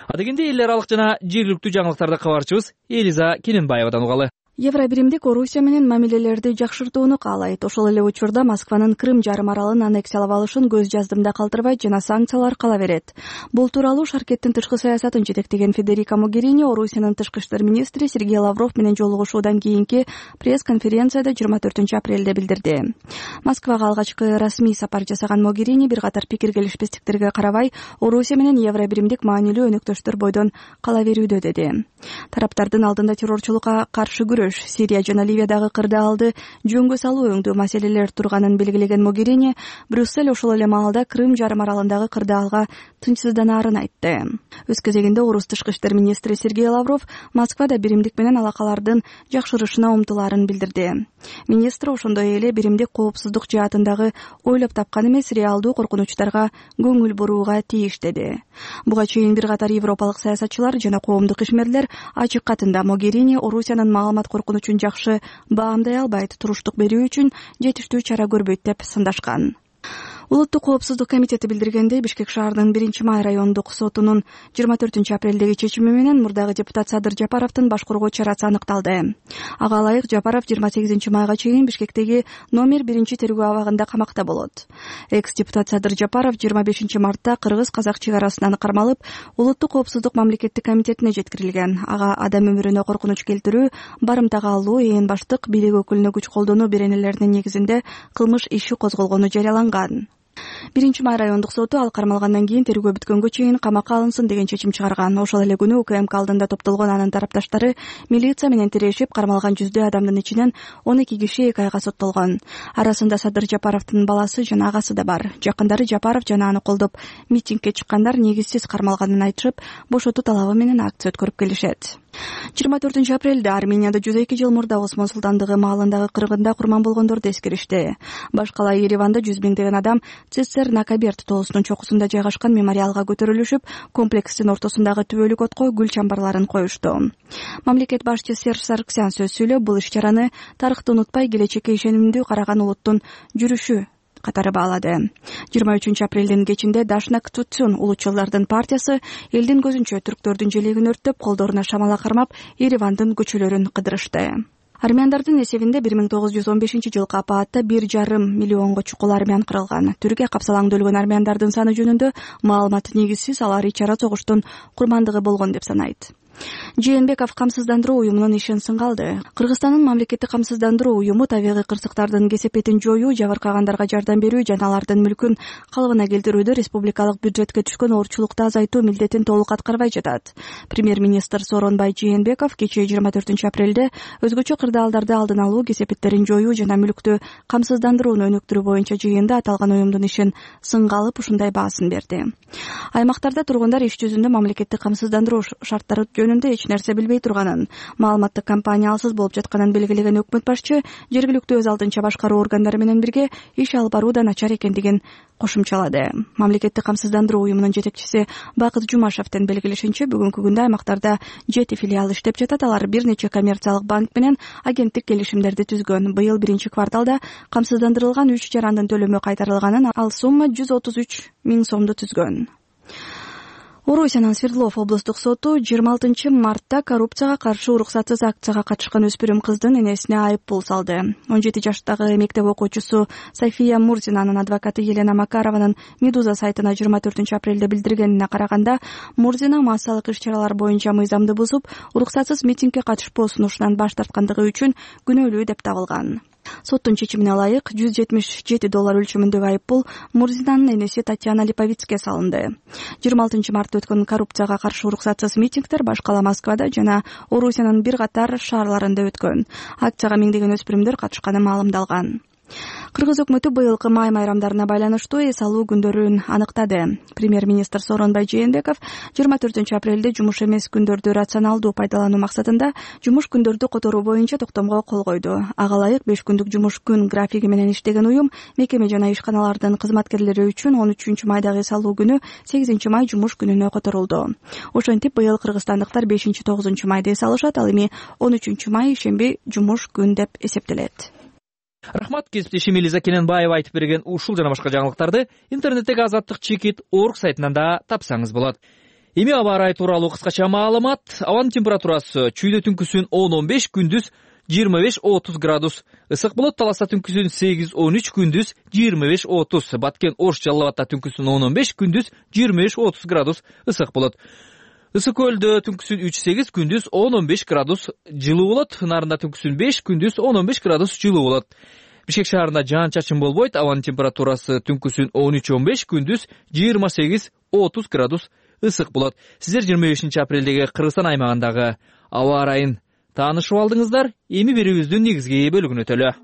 S1: Адегенде эл аралык жана жергиликтүү жаңылыктарды кабарчыбыз Элиза Кененбаевадан угалы.
S4: Евробиримдик Орусия менен мамилелерди жакшыртууну каалайт. Ошол эле учурда Москванын Крым жарым аралын аннексиялап алышын көз жаздымда калтырбайт жана санкциялар кала берет. Бул тууралуу Шаркеттин тышкы саясатын жетектеген Федерика Могерини Орусиянын тышкы иштер министри Сергей Лавров менен жолугушуудан кийинки пресс-конференцияда 24 апрелде билдирди. Москвага алгачкы расмий сапар жасаган Могерини бир катар пикир келишпестиктерге карабай Орусия менен евробиримдик маанилүү өнөктөштөр бойдон кала берүүдө деди. Тараптардын алдында террорчулукка каршы күрөш, Сирия жана Ливиядагы кырдаалды жөнгө салуу өңдүү маселелер турганын белгилеген Могерини Брюссель ошол эле маалда Крым жарым аралындагы кырдаалга тынчсызданаарын айтты. Өз кезегинде Орус тышкы иштер министри Сергей Лавров Москвада биримдик менен алакалардын жакшырышына умтулаарын билдирди. Министр ошондой эле биримдик коопсуздук жаатындагы ойлоп тапкан эмес реалдуу коркунучтарга көңүл бурууга тийиш деди. Буга чейин бир катар европалык саясатчылар жана коомдук ишмерлер ачык катында Могерини Орусиянын маалымат коркунучун жакшы баамдай албайт, туруштук берүү үчүн жетиштүү чара көрбөйт деп сындашкан. Улуттук коопсуздук комитети билдиргендей, Бишкек шаарынын 1-май райондук сотунун 24 апрелдеги чечими менен мурдагы депутат Садыр Жапаровдун башкаруу чарасы аныкталды. Ага ылайык Жапаров 28 майга чейин Бишкектеги номер 1 тергөө абагында камакта болот. Экс-депутат Садыр Жапаров 25 мартта кыргыз-казак чек арасынан кармалып, улуттук коопсуздук мамлекеттик комитетине жеткирилген. Ага адам өмүрүнө коркунуч келтирүү, барымтага алуу, ээн баштык, бийлик өкүлүнө күч колдонуу беренелеринин негизинде кылмыш иши козголгону жарыяланган. 1-май райондук соту ал кармалгандан кийин тергөө бүткөнгө чейин камакка алынсын деген чечим чыгарган. Ошол эле күнү УКМК алдында топтолгон анын тарапташтары милиция менен тирешип, кармалган жүздөй адамдын ичинен 12 киши 2 айга соттолгон. Арасында Садыр Жапаровдун баласы жана агасы да бар. Жакындары Жапаров жана аны колдоп митингге чыккандар негизсиз кармалганын айтышып, бошотуу талабы менен акция өткөрүп келишет. 24 апрелде Арменияда 102 жыл мурда Осмон султандыгы маалындагы кыргында курман болгондорду эскеришти. Башкала Ереванда 100 миңдеген адам Цесер-Накаберт тоосунун чокусунда жайгашкан мемориалга көтөрүлүшүп, комплекстин ортосундагы түбөлүк отко гүл чамбарларын коюшту. Мамлекет башчысы Серж Саргсян сөз сүйлөп, бул иш-чараны тарыхты унутпай келечекке ишенимдүү караган улуттун жүрүшү катары баалады. 23 апрелдин кечинде Дашнак Тутсун улутчулдардын партиясы элдин көзүнчө түрктөрдүн желегин өрттөп, колдоруна шамала кармап, Еревандын көчөлөрүн кыдырышты. Армяндардын эсебинде 1915 жылкы апаатта 1,5 миллионго чукул армян кырылган. Түркия капсалаңда өлгөн армяндардын саны жөнүндө маалымат негизсиз, алар ич-ара согуштун курмандыгы болгон деп санайт. Жээнбеков камсыздандыруу уюмунун ишин сынга алды. Кыргызстандын мамлекеттик камсыздандыруу уюму табигый кырсыктардын кесепетин жоюу, жабыркагандарга жардам берүү жана алардын мүлкүн калыбына келтирүүдө республикалык бюджетке түшкөн оорчулукту азайтуу милдетин толук аткарбай жатат. Премьер-министр Сооронбай Жээнбеков кечээ 24 апрелде өзгөчө кырдаалдарды алдын алуу, кесепеттерин жоюу жана мүлктү камсыздандырууну өнүктүрүү боюнча жыйында аталган уюмдун ишин сынга алып ушундай баасын берди. Аймактарда тургундар иш жүзүндө мамлекеттик камсыздандыруу шарттары жөнүндө эч нерсе билбей турганын, маалыматтык кампаниялсыз болуп жатканын белгилеген өкмөт башчы жергиликтүү өз алдынча башкаруу органдары менен бирге иш алып баруу да начар экендигин кошумчалады. Мамлекеттик камсыздандыруу уюмунун жетекчиси Бакыт Жумашевдин белгилешинче, бүгүнкү күндө аймактарда 7 филиал иштеп жатат. Алар бир нече коммерциялык банк менен агенттик келишимдерди түзгөн. Быйыл биринчи кварталда камсыздандырылган 3 жарандын төлөмү кайтарылганын, ал сумма 133 000 сомду түзгөн. Орусиянын Свердлов облустук соту 26 мартта коррупцияга каршы уруксатсыз акцияга катышкан өспүрүм кыздын энесине айып пул салды. 17 жаштагы мектеп окуучусу София Мурзинанын адвокаты Елена Макарованын Медуза сайтына 24 апрелде билдиргенине караганда, Мурзина массалык иш-чаралар боюнча мыйзамды бузуп, уруксатсыз митингге катышпоо сунушунан баш тарткандыгы үчүн күнөөлүү деп табылган. Соттун чечимине ылайык $177 өлчөмүндөгү айыппул Мурзинанын энеси Татьяна Липовицке салынды. 26 мартта өткөн коррупцияга каршы уруксатсыз митингдер баш кала Москвада жана Орусиянын бир катар шаарларында өткөн. Акцияга миңдеген өспүрүмдөр катышканы маалымдалган. Кыргыз өкмөтү быйылкы май майрамдарына байланыштуу эс алуу күндөрүн аныктады. Премьер-министр Сооронбай Жээнбеков 24 апрелде жумуш эмес күндөрдү рационалдуу пайдалануу максатында жумуш күндөрдү которуу боюнча токтомго кол койду. Ага ылайык 5 күндүк жумуш күн графиги менен иштеген уюм мекеме жана ишканалардын кызматкерлери үчүн 13 майдагы эс алуу күнү 8 май жумуш күнүнө которулду. Ошентип быйыл кыргызстандыктар 5-9 майда эс алышат, ал эми 13 май ишемби жумуш күн деп эсептелет.
S1: Рахмат, кесиптешим Элиза Кененбаева айтып берген ушул жана башка жаңылыктарды интернеттеги Азаттык чекит орг сайтынан да тапсаңыз болот. Эми аба ырайы тууралуу кыскача маалымат. Абанын температурасы чүйдө түнкүсүн 10-15, күндүз 25-30 градус ысык болот. Таласта түнкүсүн 8-13, күндүз 25-30. Баткен Ош Жалал Абадта түнкүсүн 10-15, күндүз 25-30 градус ысык болот. Ысык көлдө түнкүсүн 3-8, күндүз 10-15 градус жылуу болот. Нарында түнкүсүн 5, күндүз 10-15 градус жылуу болот. Бишкек шаарында жаан-чачын болбойт. Абанын температурасы түнкүсүн 13-15, күндүз 28-30 градус ысык болот. Сиздер 25 апрелдеги Кыргызстан аймагындагы аба ырайын таанышып алдыңыздар. Эми берүүбүздүн негизги бөлүгүнө өтөлү.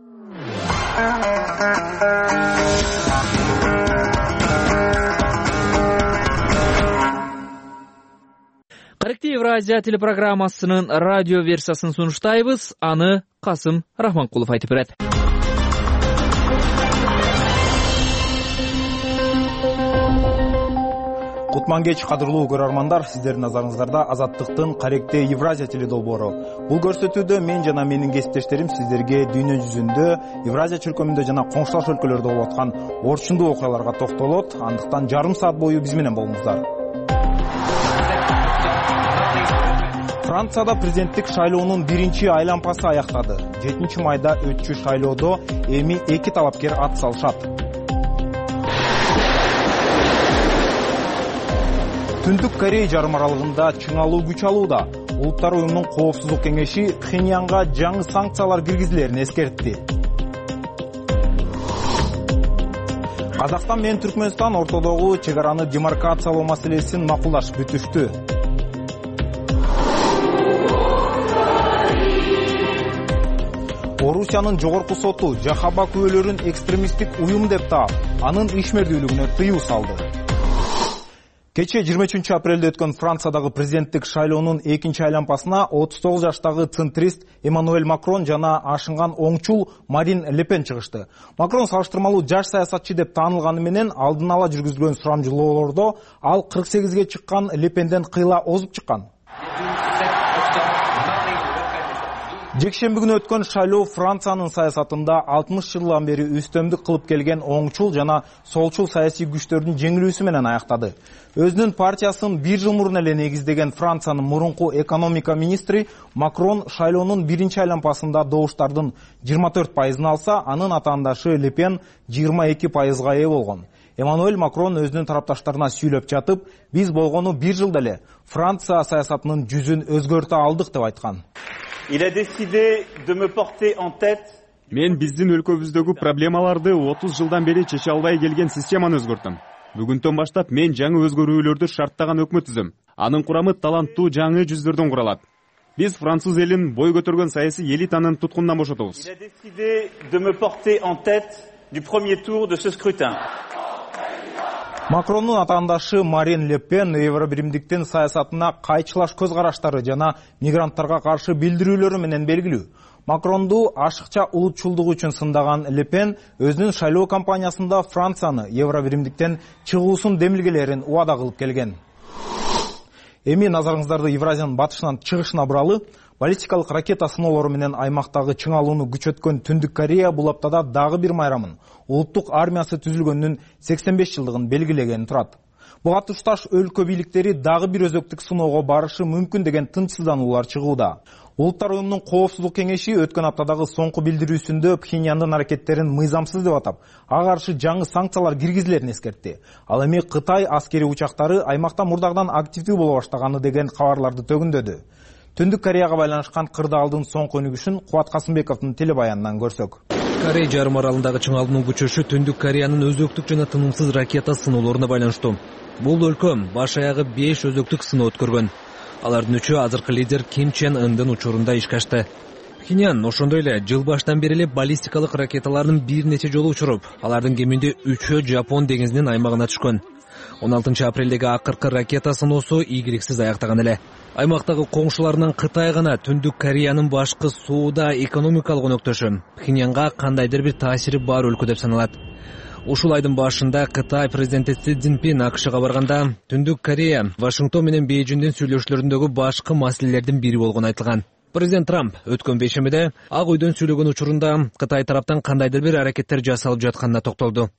S1: Корректив Евразия телепрограммасынын радио версиясын сунуштайбыз. Аны Касым Рахманкулов айтып берет.
S2: Кутман кеч, кадырлуу көрөрмандар, сиздердин назарыңыздарда Азаттыктын Корректив Евразия теледолбоору. Бул көрсөтүүдө мен жана менин кесиптештерим сиздерге дүйнө жүзүндө, Евразия чөлкөмүндө жана коңшулаш өлкөлөрдө болуп аткан орчундуу окуяларга токтолот. Андыктан жарым саат бою биз менен болуңуздар. Францияда президенттик шайлоонун биринчи айланпасы аяктады. 7 майда өтчү шайлоодо эми 2 талапкер ат салышат. Түндүк Корея жарым аралыгында чыңалуу күч алууда. Улуттар уюмунун коопсуздук кеңеши Пхеньянга жаңы санкциялар киргизилерин эскертти. Казакстан менен Түркмөнстан ортодогу чек араны демаркациялоо маселесин макулдашып бүтүштү. Орусиянын жогорку соту Жахаба күбөлөрүн экстремисттик уюм деп таап, анын ишмердүүлүгүнө тыюу салды. Кече 23 апрелде өткөн Франциядагы президенттик шайлоонун 2-нчи айланпасына 39 жаштагы центрист Эммануэль Макрон жана ашынган оңчул Марин Ле Пен чыгышты. Макрон салыштырмалуу жаш саясатчы деп таанылганы менен алдын ала жүргүзүлгөн сурамжылоолордо ал 48ге чыккан Ле Пенден кыйла озуп чыккан. Жекшемби күнү өткөн шайлоо Франциянын саясатында 60 жылдан бери үстөмдүк кылып келген оңчул жана солчул саясий күчтөрдүн жеңилүүсү менен аяктады. Өзүнүн партиясын 1 жыл мурун эле негиздеген Франциянын мурунку экономика министри Макрон шайлоонун биринчи айланпасында добуштардын 24% алса, анын атаандашы Ле Пен 22%га ээ болгон. Эммануэль Макрон өзүнүн тарапташтарына сүйлөп жатып, биз болгону 1 жылда эле Франция саясатынын жүзүн өзгөртө алдык деп айткан.
S9: Мен биздин өлкөбүздөгү проблемаларды 30 жылдан бери чече албай келген системаны өзгөртөм. Бүгүндөн баштап мен жаңы өзгөрүүлөрдү шарттаган өкмөт түзөм. Анын курамы таланттуу жаңы жүздөрдөн куралат. Биз француз элин бой көтөргөн саясий элитанын туткунунан бошотобуз.
S2: Макрондун атаандашы Марин Ле Пен Евробиримдиктин саясатына кайчылаш көз караштары жана мигранттарга каршы билдирүүлөрү менен белгилүү. Макронду ашыкча улутчулдугу үчүн сындаган Ле Пен өзүнүн шайлоо кампаниясында Францияны Евробиримдиктен чыгуусун демилгелерин убада кылып келген. Эми назарыңыздарды Евразиянын батышынан чыгышына буралы. Баллистикалык ракета сыноолору менен аймактагы чыңалууну күчөткөн Түндүк Корея бул аптада дагы бир майрамын улуттук армиясы түзүлгөнүнүн 85 жылдыгын белгилеген турат. Буга тушташ өлкө бийликтери дагы бир өзөктүк сыноого барышы мүмкүн деген тынчсыздануулар чыгууда. Улуттар уюмунун Коопсуздук кеңеши өткөн аптадагы соңку билдирүүсүндө Пхеньяндын аракеттерин мыйзамсыз деп атап, ага каршы жаңы санкциялар киргизилерин эскертти. Ал эми Кытай аскери учактары аймакта мурдагыдан активдүү боло баштаганы деген кабарларды төгүндөдү. Түндүк Кореяга байланышкан кырдаалдын соңку өнүгүшүн Кубат Касымбековдун телебаянынан көрсөк.
S6: Корей жарым аралындагы чыңалуунун күчөшү Түндүк Кореянын өзөктүк жана тынымсыз ракета сыноолоруна байланыштуу. Бул өлкө баш аягы 5 өзөктүк сыноо өткөргөн. Алардын 3-ü азыркы лидер Ким Чен Ындын учурунда ишке ашты. Пхеньян ошондой эле жыл баштан бери эле баллистикалык ракеталарын бир нече жолу учуруп, алардын кеминде 3-ü Жапон деңизинин аймагына түшкөн. 16 апрелдеги акыркы ракета сыноосу ийгиликсиз аяктаган эле. Аймактагы коңшуларынан Кытай гана Түндүк Кореянын башкы сууда экономикалык өнөктөшү Пхеньянга кандайдыр бир таасири бар өлкө деп саналат. Ушул айдын башында Кытай президенти Си Цзиньпин АКШга барганда Түндүк Корея Вашингтон менен Бейжиңдин сүйлөшүүлөрүндөгү башкы маселелердин бири болгону айтылган. Президент Трамп өткөн бейшембиде Ак үйдөн сүйлөгөн учурунда Кытай тараптан кандайдыр бир аракеттер жасалып жатканына токтолду.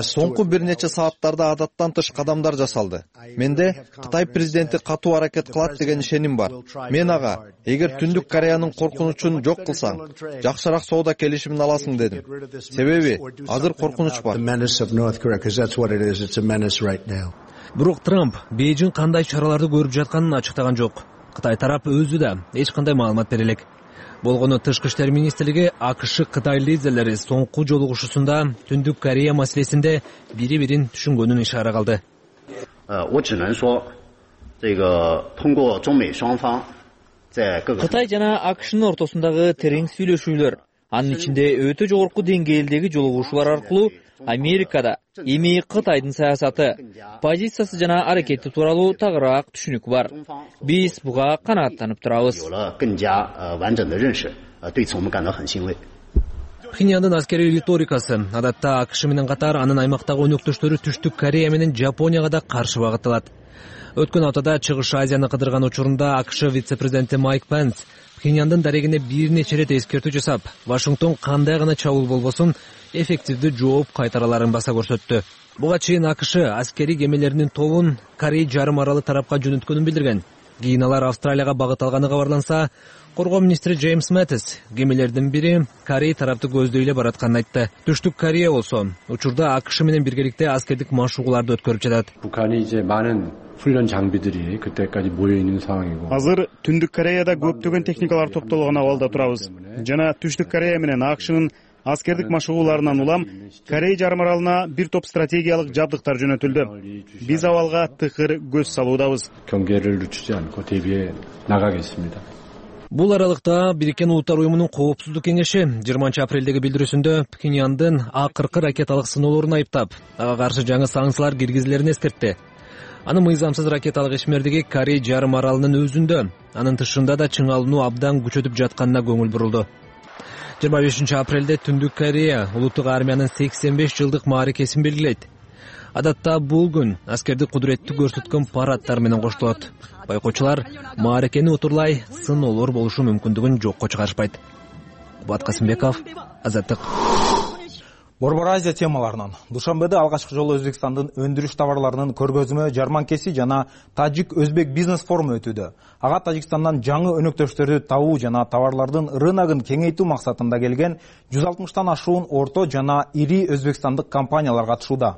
S22: Соңку бир нече сааттарда адаттан тыш кадамдар жасалды. Менде Кытай президенти катуу аракет кылат деген ишеним бар. Мен ага, эгер Түндүк Кореянын коркунучун жок кылсаң, жакшыраак соода келишимин аласың дедим. Себеби азыр коркунуч бар.
S6: Бирок Трамп Бейжиң кандай чараларды көрүп жатканын ачыктаган жок. Кытай тарап өзү да эч кандай маалымат бере элек. Болгону Тышкы иштер министрлиги АКШ Кытай лидерлери соңку жолугушуусунда Түндүк Корея маселесинде бири-бирин түшүнгөнүн ишара кылды.
S1: Кытай жана АКШнын ортосундагы терең сүйлөшүүлөр, анын ичинде өтө жогорку деңгээлдеги жолугушуулар аркылуу Америкада эми Кытайдын саясаты, позициясы жана аракети тууралуу тагыраак түшүнүк бар. Биз буга канааттанып турабыз.
S6: Пхеньяндын аскерий риторикасы адатта АКШ менен катар анын аймактагы өнөктөштөрү Түштүк Корея менен Жапонияга да каршы багытталат. Өткөн аптада Чыгыш Азияны кыдырган учурунда АКШ вице-президенти Майк Пенс Пхеньяндын дарегине бир нече ирет эскертүү жасап, Вашингтон кандай гана чабуул болбосун эффективдүү жооп кайтараларын баса көрсөттү. Буга чейин АКШ аскерий кемелеринин тобун Корей жарым аралы тарапка жөнөткөнүн билдирген. Кийин алар Австралияга багыт алганы кабарланса, коргоо министри Джеймс Мэттис кемелердин бири Корей тарапты көздөй эле баратканын айтты. Түштүк Корея болсо учурда АКШ менен биргеликте аскердик машыгууларды өткөрүп жатат.
S9: Азыр Түндүк Кореяда көптөгөн техникалар топтолгон абалда турабыз. Жана Түштүк Корея менен АКШнын аскердик машыгууларынан улам Корей жарым аралына бир топ стратегиялык жабдыктар жөнөтүлдү. Биз абалга тыкыр көз салуудабыз.
S6: Бул аралыкта Бириккен Улуттар уюмунун Коопсуздук кеңеши 20 апрелдеги билдирүүсүндө Пхеньяндын акыркы ракеталык сыноолорун айыптап, ага каршы жаңы санкциялар киргизилерин эскертти. Анын мыйзамсыз ракеталык ишмердиги Корей жарым аралынын өзүндө, анын тышында да чыңалууну абдан күчөтүп жатканына көңүл бурулду. 25 апрелде Түндүк Корея улуттук армиянын 85 жылдык мааракесин белгилейт. Адатта бул күн аскердик кудуретти көрсөткөн парадтар менен коштолот. Байкоочулар мааракени утурлай сыноолор болушу мүмкүндүгүн жокко чыгарышпайт. Кубат Касымбеков, Азаттык.
S2: Борбор Азия темаларынан. Душанбеде алгачкы жолу Өзбекстандын өндүрүш товарларынын көргөзмө, жарманкеси жана Тажик-Өзбек бизнес форуму өтүүдө. Ага Тажикстандан жаңы өнөктөштөрдү табуу жана товарлардын рыногун кеңейтүү максатында келген 160тан ашуун орто жана ири өзбекстандык компаниялар катышууда.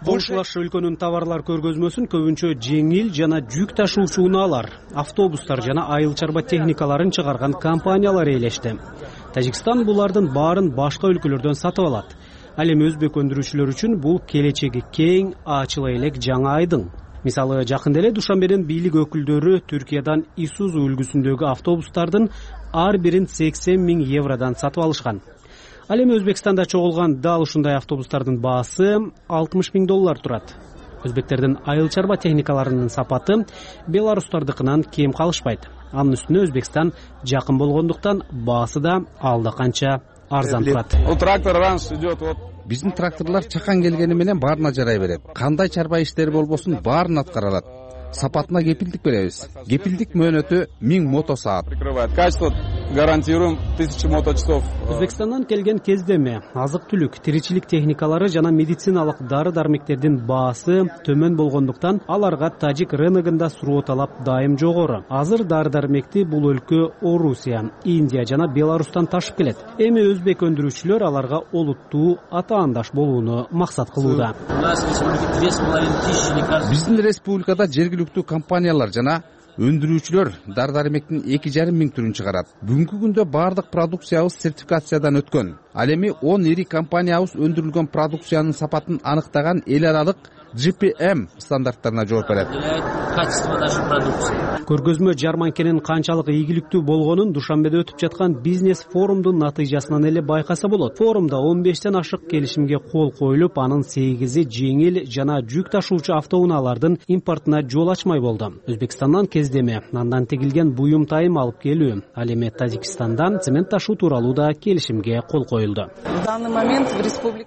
S23: Кош өлкөнүн товарлар көргөзмөсүн көбүнчө жеңил жана жүк ташуучу унаалар, автобустар жана айыл чарба техникаларын чыгарган компаниялар ээлешти. Тажикстан булардын баарын башка өлкөлөрдөн сатып алат. Ал эми өзбек өндүрүүчүлөр үчүн бул келечеги кең, ачыла элек жаңы айдың. мисалы жакында эле Душанбенин бийлик өкүлдөрү Түркиядан Исузу үлгүсүндөгү автобустардын ар бирин 80 000 евродон сатып алышкан. Ал эми Өзбекстанда чогулган дал ушундай автобустардын баасы $60 000 турат. Өзбектердин айыл чарба техникаларынын сапаты беларустардыкынан кем калышпайт. Анын үстүнө Өзбекстан жакын болгондуктан баасы да алда канча арзан турат.
S16: Биздин тракторлор чакан келгени менен баарына жарай берет. Кандай чарба иштери болбосун баарын аткара алат. Сапатына кепилдик беребиз. Кепилдик мөөнөтү 1000 мотосаат.
S5: Гарантируем 1000 моточасов.
S23: Өзбекстандан келген кездеме, азык-түлүк, тиричилик техникалары жана медициналык дары-дармектердин баасы төмөн болгондуктан аларга тажик рыногунда суроо талап дайым жогору. Азыр дары-дармекти бул өлкө Орусия, Индия жана Беларустан ташып келет. Эми өзбек өндүрүүчүлөр аларга олуттуу атаандаш болууну максат кылууда.
S16: Биздин республикада жергиликтүү компаниялар жана өндүрүүчүлөр дары-дармектин 2,5 миң түрүн чыгарат. Бүгүнкү күндө баардык продукциябыз сертификациядан өткөн. Ал эми 10 ири компаниябыз өндүрүлгөн продукциянын сапатын аныктаган эл аралык GPM стандарттарына жооп берет.
S23: Көргөзмө жарманкенин канчалык ийгиликтүү болгонун Душанбеде өтүп жаткан бизнес форумдун натыйжасынан эле байкаса болот. Форумда 15тен ашык келишимге кол коюлуп, анын 8-и жеңил жана жүк ташуучу автоунаалардын импортуна жол ачмай болду. Өзбекстандан кездеме, андан тегилген буюм тайым алып келүү, ал эми Тажикстандан цемент ташуу тууралуу да келишимге кол коюлду.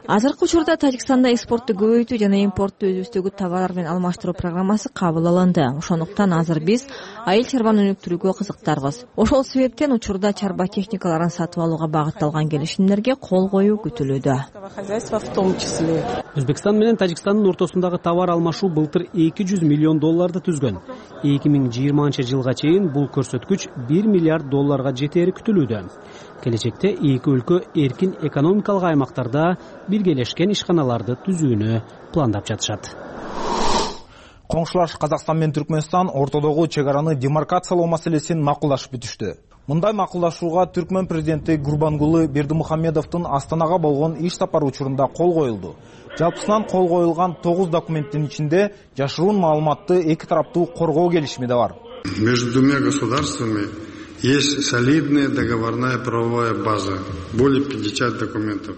S7: Азыркы учурда Тажикстанда экспортту көбөйтүү жана импортту өзүбүздөгү товарлар менен алмаштыруу программасы кабыл алынды. Ошондуктан азыр биз айыл чарбаны өнүктүрүүгө кызыктарбыз. Ошол себептен учурда чарба техникаларын сатып алууга багытталган келишимдерге кол коюу күтүлүүдө.
S23: Өзбекстан менен Тажикстандын ортосундагы товар алмашуу былтыр $200 миллион түзгөн. 2020 жылга чейин бул көрсөткүч $1 миллиард жетери күтүлүүдө. Келечекте эки өлкө эркин экономикалык аймактарда биргелешкен ишканаларды түзүүнү пландап жатышат.
S2: Коңшулаш Казакстан менен Түркмөнстан ортодогу чек араны демаркациялоо маселесин макулдашып бүтүштү. Мындай макулдашууга Түркмөн президенти Гурбангулы Бердимухамедовдун Астанага болгон иш сапары учурунда кол коюлду. Жалпысынан кол коюлган 9 документтин ичинде жашыруун маалыматты эки тараптуу коргоо келишими да бар.
S8: Между двумя государствами есть солидная договорная правовая база, более 50 документов.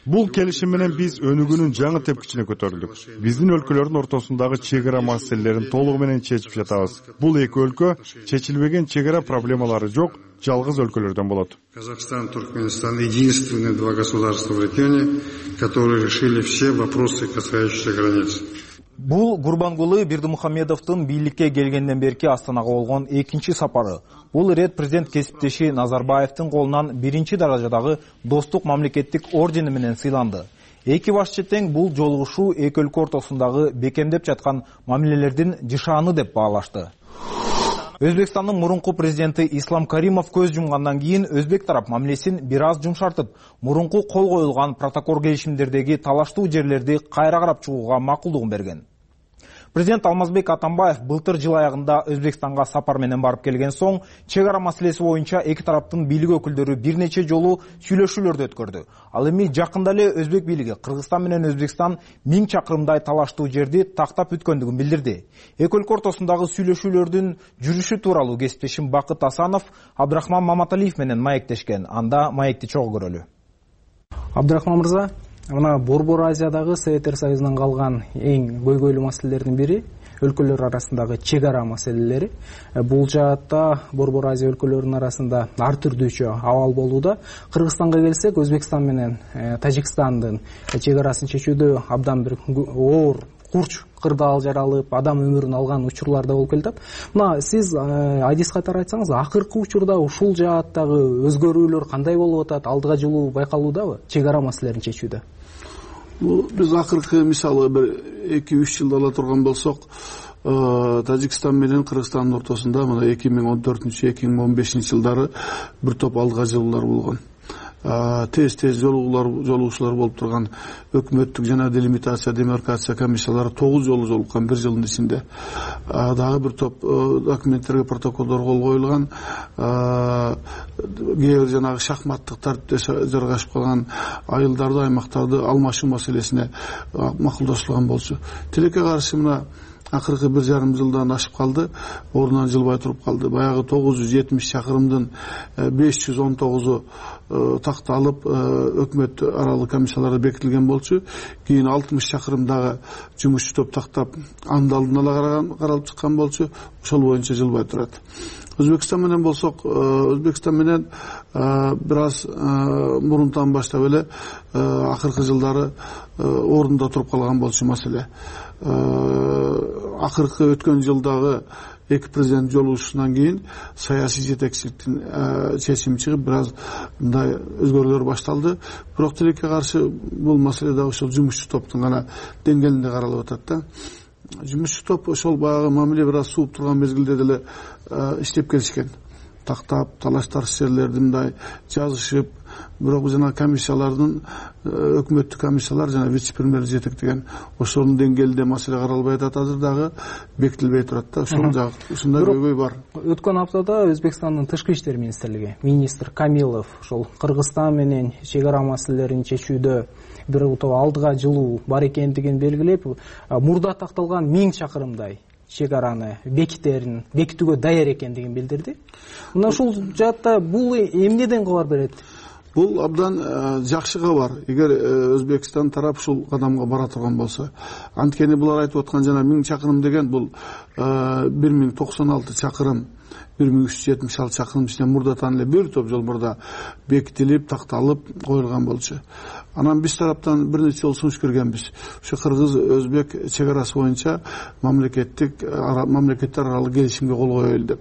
S11: Бул келишим менен биз өнүгүүнүн жаңы тепкичине көтөрүлдүк. Биздин өлкөлөрдүн ортосундагы чек ара маселелерин толугу менен чечип жатабыз. Бул эки өлкө чечилбеген чек ара проблемалары жок, жалгыз өлкөлөрдөн болот.
S8: Казахстан, Туркменистан — единственные два государства в регионе, которые решили все вопросы, касающиеся границ.
S2: Бул Гурбангулы Бердимухамедовдун бийликке келгенден берки Астанага болгон экинчи сапары. Бул ирет президент кесиптеши Назарбаевдин колунан биринчи даражадагы достук мамлекеттик ордени менен сыйланды. Эки башчы тең бул жолугушуу эки өлкө ортосундагы бекемдеп жаткан мамилелердин жышааны деп баалашты. Өзбекстандын мурунку президенти Ислам Каримов көз жумгандан кийин өзбек тарап мамилесин бир аз жумшартып, мурунку кол коюлган протокол келишимдердеги талаштуу жерлерди кайра карап чыгууга макулдугун берген. Президент Алмазбек Атамбаев былтыр жыл аягында Өзбекстанга сапар менен барып келген соң, чек ара маселеси боюнча эки тараптын бийлик өкүлдөрү бир нече жолу сүйлөшүүлөрдү өткөрдү. Ал эми жакында эле Өзбек бийлиги Кыргызстан менен Өзбекстан 1000 чакырымдай талаштуу жерди тактап бүткөндүгүн билдирди. Эки өлкө ортосундагы сүйлөшүүлөрдүн жүрүшү тууралуу кесиптешим Бакыт Асанов Абдрахман Маматалиев менен маектешкен. Анда маекти чогуу көрөлү.
S24: Абдрахман мырза, мына Борбор Азиядагы Советтер Союзунан калган эң көйгөйлүү маселелердин бири өлкөлөр арасындагы чек ара маселелери. Бул жаатта Борбор Азия өлкөлөрүнүн арасында ар түрдүүчө абал болууда. Кыргызстанга келсек, Өзбекстан менен Тажикстандын чек арасын чечүүдө абдан бир оор курч кырдаал жаралып, адам өмүрүн алган учурлар да болуп келатат. Мына сиз айдис катары айтсаңыз, акыркы учурда ушул жааттагы өзгөрүүлөр кандай болуп атат? Алдыга жылуу байкалуудабы чек ара маселелерин чечүүдө?
S25: Биз акыркы мисалы бир 2-3 жылда ала турган болсок, Тажикстан менен Кыргызстандын ортосунда мына 2014-2015 жылдары бир топ алдыга жылуулар болгон. Тез жолугушуулар болуп турган өкмөттүк жана делимитация, демаркация комиссиялары 9 жолу жолуккан бир жылдын ичинде. Дагы бир топ документтерге протоколдор кол коюлган. Кээ бир жанагы шахматтык тартипте жаргашып калган айылдарды, аймактарды алмашуу маселесине макулдашылган болчу. Тилекке каршы мына акыркы 1,5 жылдан ашып калды, ордунан жылбай туруп калды. Баягы 970 чакырымдын 519 такталып өкмөт аралык комиссияларда бекитилген болчу. Кийин 60 чакырым дагы жумушчу топ тактап анын алдын ала каралып чыккан болчу. Ошол боюнча жылбай турат. Өзбекстан менен болсок, Өзбекстан менен бир аз мурунтан баштап эле акыркы жылдары ордунда туруп калган болчу маселе. Акыркы өткөн жылдагы эки президент жолугушуунан кийин саясий жетекчиликтин чечими чыгып, бир аз мындай өзгөрүүлөр башталды. Бирок тилекке каршы бул маселе дагы ошол жумушчу топтун гана деңгээлинде каралып атат да. Жумушчу топ ошол баягы мамиле бир аз сууп турган мезгилде деле иштеп келишкен. Тактап, талаш тарс жерлерди мындай жазышып, бирок жана комиссиялардын, өкмөттүк комиссиялар жана вице-премьер жетектеген ошонун деңгээлинде маселе каралбай атат, азыр дагы бекитилбей турат да. Ушундай көйгөй бар.
S24: Өткөн аптада Өзбекстандын тышкы иштер министрлиги министр Камилов ошол Кыргызстан менен чек ара маселелерин чечүүдө бир алдыга жылуу бар экендигин белгилеп, мурда такталган 1000 чакырымдай чек араны бекитүүгө даяр экендигин билдирди. Мына ушул жаатта бул эмнеден кабар берет?
S25: Бул абдан жакшы кабар. Эгер Өзбекстан тарап ушул кадамга бара турган болсо, анткени булар айтып аткан жана 1000 чакырым деген бул 1096 чакырым, 1376 чакырым ичинен мурдатан эле бир топ жол мурда бекитилип, такталып коюлган болчу. Анан биз тараптан бир нече жолу сунуш көргөнбүз. Ушу Кыргыз-Өзбек чек арасы боюнча мамлекеттер аралык келишимге кол коелу деп.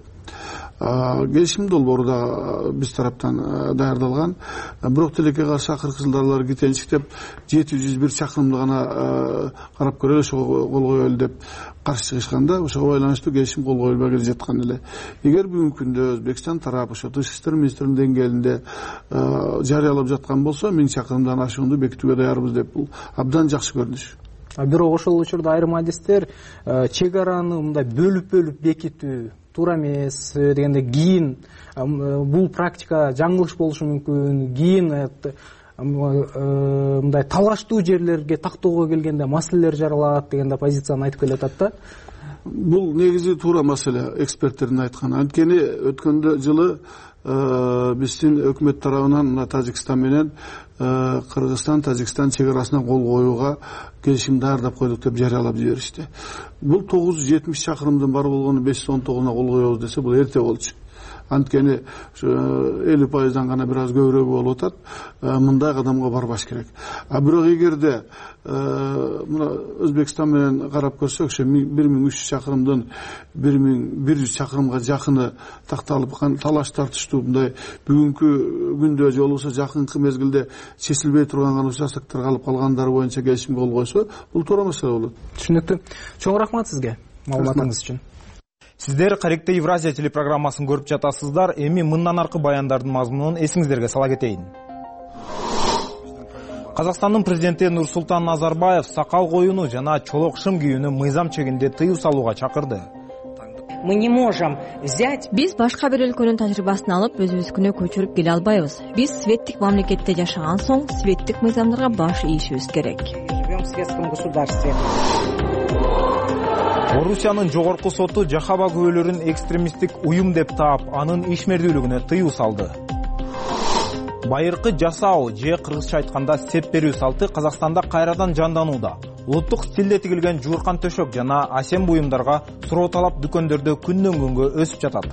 S25: Келишим долбоору да биз тараптан даярдалган. Бирок тилекке каршы акыркы жылдары кетенчиктеп 701 чакырымды гана карап көрөлү, ошого кол коелу деп каршы чыгышканда, ошого байланыштуу келишим кол коюлбай келе жаткан эле. Эгер бүгүнкү күндө Өзбекстан тарап ошо тышкы иштер министринин деңгээлинде жарыялап жаткан болсо, 1000 чакырымдан ашуунду бекитүүгө даярбыз деп, бул абдан жакшы көрүнүш.
S24: Бирок ошол учурда айрым адистер чек араны мындай бөлүп бекитүү туура эмес дегенде, кийин бул практика жаңылыш болушу мүмкүн, кийин мындай талаштуу жерлерге тактоого келгенде маселелер жаралат дегенде позицияны айтып келатат да.
S25: Бул негизи туура маселе, эксперттердин айтканы. Анткени өткөндө жылы биздин өкмөт тарабынан Тажикстан менен Кыргызстан, Тажикстан чек арасына кол коюуга келишим даярдап койдук деп жарыялап жиберишти. Бул 970 чакырымдын бар болгону 519-на кол коебуз десе, бул эрте болчу. Анткени 50%-дан гана бир аз көбүрөөк болуп атат. Мындай кадамга барбаш керек. Бирок эгерде мына Өзбекстан менен карап көрсөк, ошо 1300 чакырымдын 1100 чакырымга жакыны такталып, талаш тартыштуу мындай бүгүнкү күндө же болбосо жакынкы мезгилде чечилбей турган гана участоктор калып калгандары боюнча келишимге кол койсо, бул туура маселе болот.
S24: Түшүнүктүү. Чоң рахмат сизге маалыматыңыз үчүн.
S2: Сиздер Каректе Евразия телепрограммасын көрүп жатасыздар. Эми мындан аркы баяндардын мазмунун эсиңиздерге сала кетейин. Казакстандын президенти Нурсултан Назарбаев сакал коюуну жана чолок шым кийүүнү мыйзам чегинде тыюу салууга чакырды.
S7: Мы не можем взять. Биз башка бир өлкөнүн тажрыйбасын алып, өзүбүзгүнө көчүрүп келе албайбыз. Биз светтик мамлекетте жашаган соң, светтик мыйзамдарга баш ийишибиз керек.
S3: Живем в светском государстве.
S2: Орусиянын жогорку соту Жахаба күбөлөрүн экстремисттик уюм деп таап, анын ишмердүүлүгүнө тыюу салды. Байыркы жасоо же кыргызча айтканда сеп берүү салты Казакстанда кайрадан жанданууда. Улуттук стилде тигилген жууркан төшөк жана асем буюмдарга суроо талап дүкөндөрдө күндөн күнгө өсүп жатат.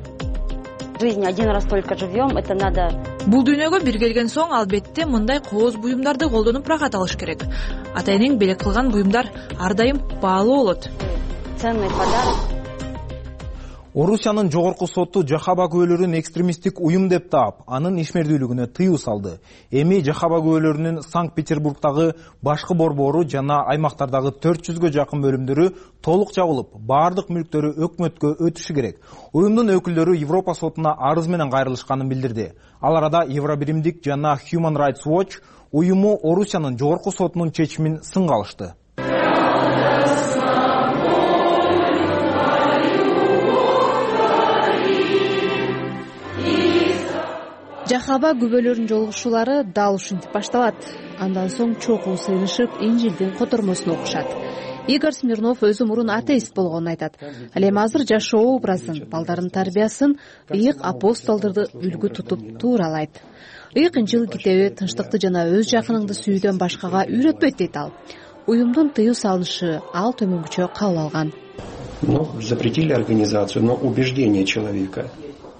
S10: Жизнь один раз только живем, это надо.
S12: Бул дүйнөгө бир келген соң албетте мындай кооз буюмдарды колдонуп рахат алыш керек. Ата энең белек кылган буюмдар ар дайым баалуу болот.
S10: Ценный подарок.
S2: Орусиянын жогорку соту Жахаба күбөлөрүн экстремисттик уюм деп таап, анын ишмердүүлүгүнө тыюу салды. Эми Жахаба күбөлөрүнүн Санкт-Петербургдагы башкы борбору жана аймактардагы 400гө жакын бөлүмдөрү толук жабылып, баардык мүлктөрү өкмөткө өтүшү керек. Уюмдун өкүлдөрү Европа сотуна арыз менен кайрылышканын билдирди. Ал арада Евробиримдик жана Human Rights Watch уюму Орусиянын жогорку сотунун чечимин сынга алышты.
S14: Жахаба күбөлөрүнүн жолугушуулары дал ушинтип башталат. Андан соң чогуу сыйынышып, Инжилдин котормосун окушат.
S13: Игорь Смирнов өзү мурун атеист болгонун айтат. Ал эми азыр жашоо образын, балдардын тарбиясын ыйык апостолдорду үлгү тутуп тууралайт. Ыйык Инжил китеби тынчтыкты жана өз жакыныңды сүйүүдөн башкага үйрөтпөйт дейт ал. Уюмдун тыюу салынышы ал төмөнгүчө кабыл алган.
S15: Запретили организацию, но убеждение человека.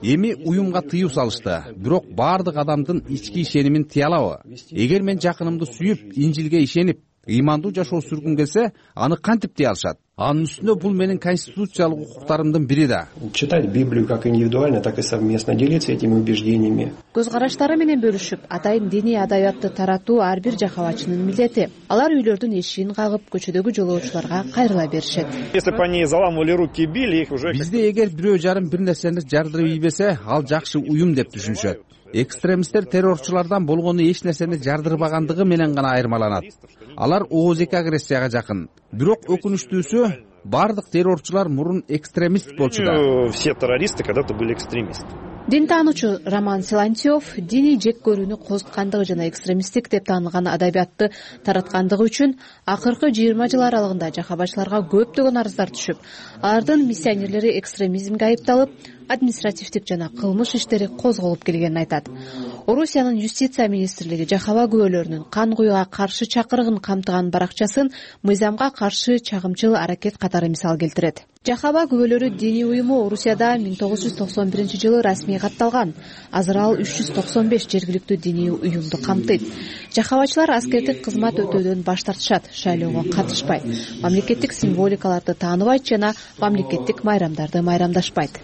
S16: Эми уюмга тыюу салышты, бирок баардык адамдын ички ишенимин тыя алабы? Эгер мен жакынымды сүйүп, Инжилге ишенип, ыймандуу жашоо сүргүм келсе, аны кантип тыя алышат? Анын үстүнө бул менин конституциялык укуктарымдын бири да.
S15: Читать Библию как индивидуально, так и совместно, делиться этими убеждениями.
S13: Көз караштары менен бөлүшүп, атайын диний адабиятты таратуу ар бир жакабатчынын милдети. Алар үйлөрдүн эшигин кагып, көчөдөгү жолоочуларга кайрыла беришет.
S17: Если бы они заламывали руки и били их уже.
S16: Бизде эгер бирөө жарым бир нерсени жардырып ийбесе, ал жакшы уюм деп түшүнүшөт. Экстремисттер террорчулардан болгону эч нерсени жардырбагандыгы менен гана айырмаланат. Алар ооздик агрессияга жакын. Бирок өкүнүчтүүсү, бардык террорчулар мурун экстремист болчу да.
S17: Все террористы когда-то были экстремисты.
S13: Дин таануучу Роман Силантьев диний жек көрүүнү козуткандыгы жана экстремисттик деп таанылган адабиятты тараткандыгы үчүн акыркы 20 жыл аралыгында жакабачыларга көптөгөн арыздар түшүп, алардын миссионерлери экстремизмге айыпталып, административдик жана кылмыш иштери козголуп келгенин айтат. Орусиянын юстиция министрлиги жакаба күбөлөрүнүн кан куюуга каршы чакырыгын камтыган баракчасын мыйзамга каршы чагымчыл аракет катары мисал келтирет. Жакаба күбөлөрү диний уюму Орусияда 1991 расмий катталган. Азыр ал 395 жергиликтүү диний уюмду камтыйт. Жакабачылар аскердик кызмат өтөөдөн баш тартышат, шайлоого катышпайт, мамлекеттик символикаларды тааныбайт жана мамлекеттик майрамдарды майрамдашпайт.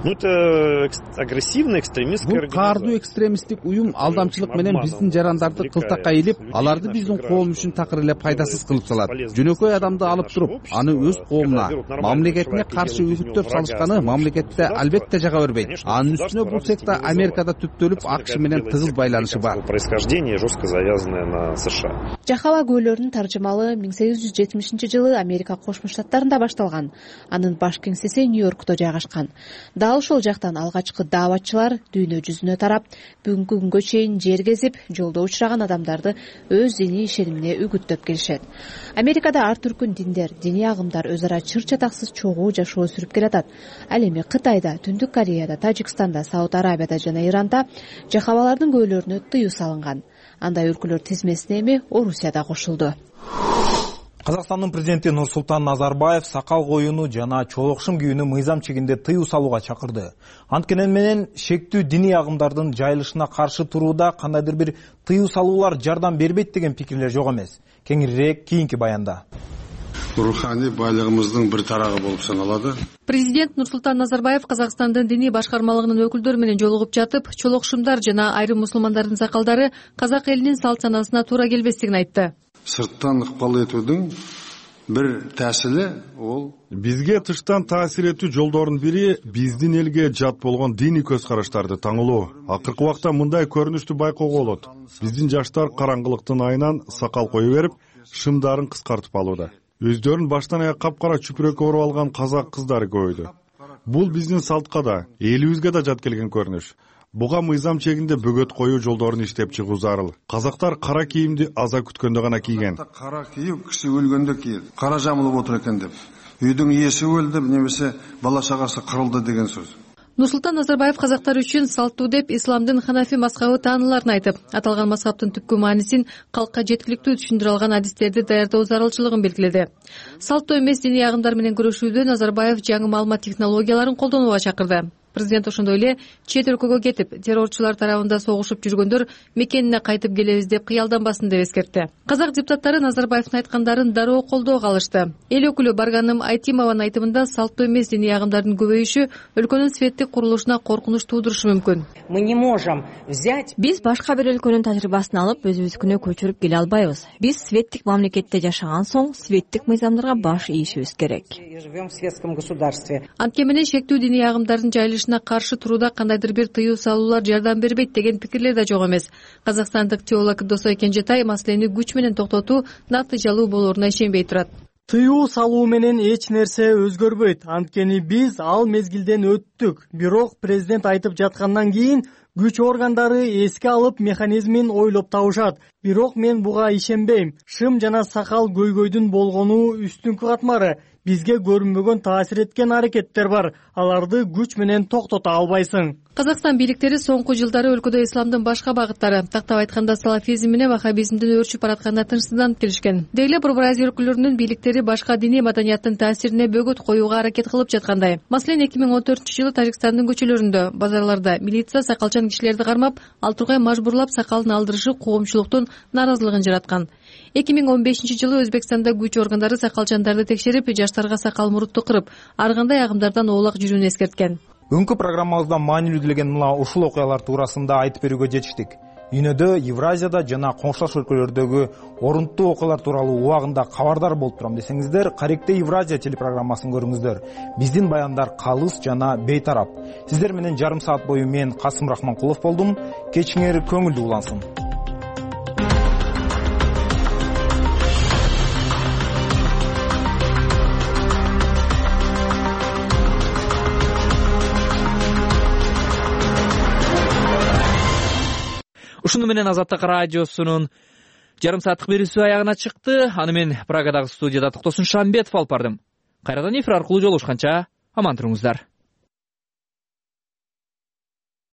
S17: Это агрессивный экстремистский
S16: организация. Бул каардуу экстремисттик уюм алдамчылык менен биздин жарандарды кылтакка илип, аларды биздин коом үчүн такыр эле пайдасыз кылып салат. Жөнөкөй адамды алып туруп, аны өз коомуна, мамлекетине каршы үгүттөп салышканы мамлекетте албетте жага бербейт. Анын үстүнө бул секта Америкада түптөлүп, АКШ менен тыгыз байланышы бар.
S17: Происхождение жестко завязанное на США.
S13: Жакаба күбөлөрүнүн таржымалы 1870-жылы Америка Кошмо Штаттарында башталган. Анын баш кеңсеси Нью-Йоркто жайгашкан. Дал ошол жактан алгачкы дааватчылар дүйнө жүзүнө тарап, бүгүнкү күнгө чейин жер кезип, жолдо учураган адамдарды өз диний ишенимине үгүттөп келишет. Америкада ар түркүн диндер, диний агымдар өз ара чыр чатаксыз чогуу жашоо сүрүп келатат. Ал эми Кытайда, Түндүк Кореяда, Тажикстанда, Сауд Арабияда жана Иранда жакабалардын күбөлөрүнө тыюу салынган. Андай өлкөлөр тизмесине эми Орусия да кошулду.
S2: Казакстандын президенти Нурсултан Назарбаев сакал коюуну жана чолокшум кийүүнү мыйзам чегинде тыюу салууга чакырды. Анткени менен шектүү диний агымдардын жайылышына каршы турууда кандайдыр бир тыюу салуулар жардам бербейт деген пикирлер жок эмес. Кеңирээк кийинки баянда.
S8: Руханий байлыгыбыздын бир тарагы болуп саналады.
S18: Президент Нурсултан Назарбаев Казакстандын диний башкармалыгынын өкүлдөрү менен жолугуп жатып, чолокшумдар жана айрым мусулмандардын сакалдары казак элинин салт санасына туура келбестигин айтты.
S8: Сырттан ыкпал этүүдүн бир таасири ол
S11: бизге тыштан таасир этүү жолдорунун бири биздин элге жат болгон диний көз караштарды таңылоо. Акыркы убакта мындай көрүнүштү байкоого болот. Биздин жаштар караңгылыктын айынан сакал кое берип, шымдарын кыскартып алууда. Өздөрүн баштан аяк капкара чүпүрөккө оруп алган казак кыздары көбөйдү. Бул биздин салтка да, элибизге да жат келген көрүнүш. Буга мыйзам чегинде бөгөт коюу жолдорун иштеп чыгуу зарыл. Казактар кара кийимди аза күткөндө гана кийген.
S8: Кара кийип, киши өлгөндө кийет. Кара жамылып отур экен деп. Үйдүн ээси өлдү, немесе бала чагасы кырылды деген сөз.
S18: Нурсултан Назарбаев казактар үчүн салттуу деп исламдын ханафи мазхабы тааныларын айтып, аталган мазхабтын түпкү маанисин калкка жеткиликтүү түшүндүрө алган адистерди даярдоо зарылчылыгын белгиледи. Салттуу эмес диний агымдар менен күрөшүүдө Назарбаев жаңы маалымат технологияларын колдонууга чакырды. Президент ошондой эле чет өлкөгө кетип, террорчулар тарабында согушуп жүргөндөр мекенине кайтып келебиз деп кыялданбасын деп эскертти. Казак депутаттары Назарбаевдин айткандарын дароо колдоого алышты. Эл өкүлү Барганым Айтимованын айтымында салттуу эмес диний агымдардын көбөйүшү өлкөнүн светтик курулушуна коркунуч туудурушу мүмкүн.
S7: Биз башка бир өлкөнүн тажрыйбасын алып, өзүбүзгүнө көчүрүп келе албайбыз. Биз светтик мамлекетте жашаган соң, светтик мыйзамдарга баш ийишибиз керек.
S18: Анткени менен шектүү диний агымдардын жайылышына каршы турууда кандайдыр бир тыюу салуулар жардам бербейт деген пикирлер да жок эмес. Казакстандык теолог Досой Кенжетай маселени күч менен токтотуу натыйжалуу болоруна ишенбей турат.
S19: Тыюу салуу менен эч нерсе өзгөрбөйт. Анткени биз ал мезгилден өттүк. Бирок президент айтып жаткандан кийин күч органдары эске алып механизмин ойлоп табышат. Бирок мен буга ишенбейм. Шым жана сакал көйгөйдүн болгону үстүңкү катмары. Бизге көрүнбөгөн таасир эткен аракеттер бар. Аларды күч менен токтото албайсың.
S18: Казакстан бийликтери соңку жылдары өлкөдө исламдын башка багыттары, тактап айтканда салафизм менен ваххабизмдин өрчүп баратканына тынчсызданып келишкен. Дейле Борбор Азия өлкөлөрүнүн бийликтери башка диний маданияттын таасирине бөгөт коюуга аракет кылып жаткандай. Маселен, 2014-жылы Тажикстандын көчөлөрүндө, базарларда милиция сакалчан кишилерди кармап, ал тургай мажбурлап сакалын алдырышы коомчулуктун нааразылыгын жараткан. 2015-жылы Өзбекстанда күч органдары сакалчандарды текшерип, жаштарга сакал мурутtu кырып, ар кандай агымдардан оолак жүрүүнү эскерткен.
S2: Бүгүнкү программабызда маанилүү делеген мына ушул окуялар туурасында айтып берүүгө жетиштик. Үйнөдө, Евразияда жана коңшулаш өлкөлөрдөгү орунттуу окуялар тууралуу убагында кабардар болуп турам десеңиздер, Каректе Евразия телепрограммасын көрүңүздөр. Биздин баяндар калыс жана бейтарап. Сиздер менен жарым саат бою мен Касым Рахманкулов болдум. Кечиңер көңүлдүү улансын.
S6: Ушуну менен Азаттык радиосунун жарым сааттык берүүсү аягына чыкты. Аны мен Прагадагы студияда Токтосун Шамбетов алып бардым. Кайрадан эфир аркылуу жолугушканча аман туруңуздар.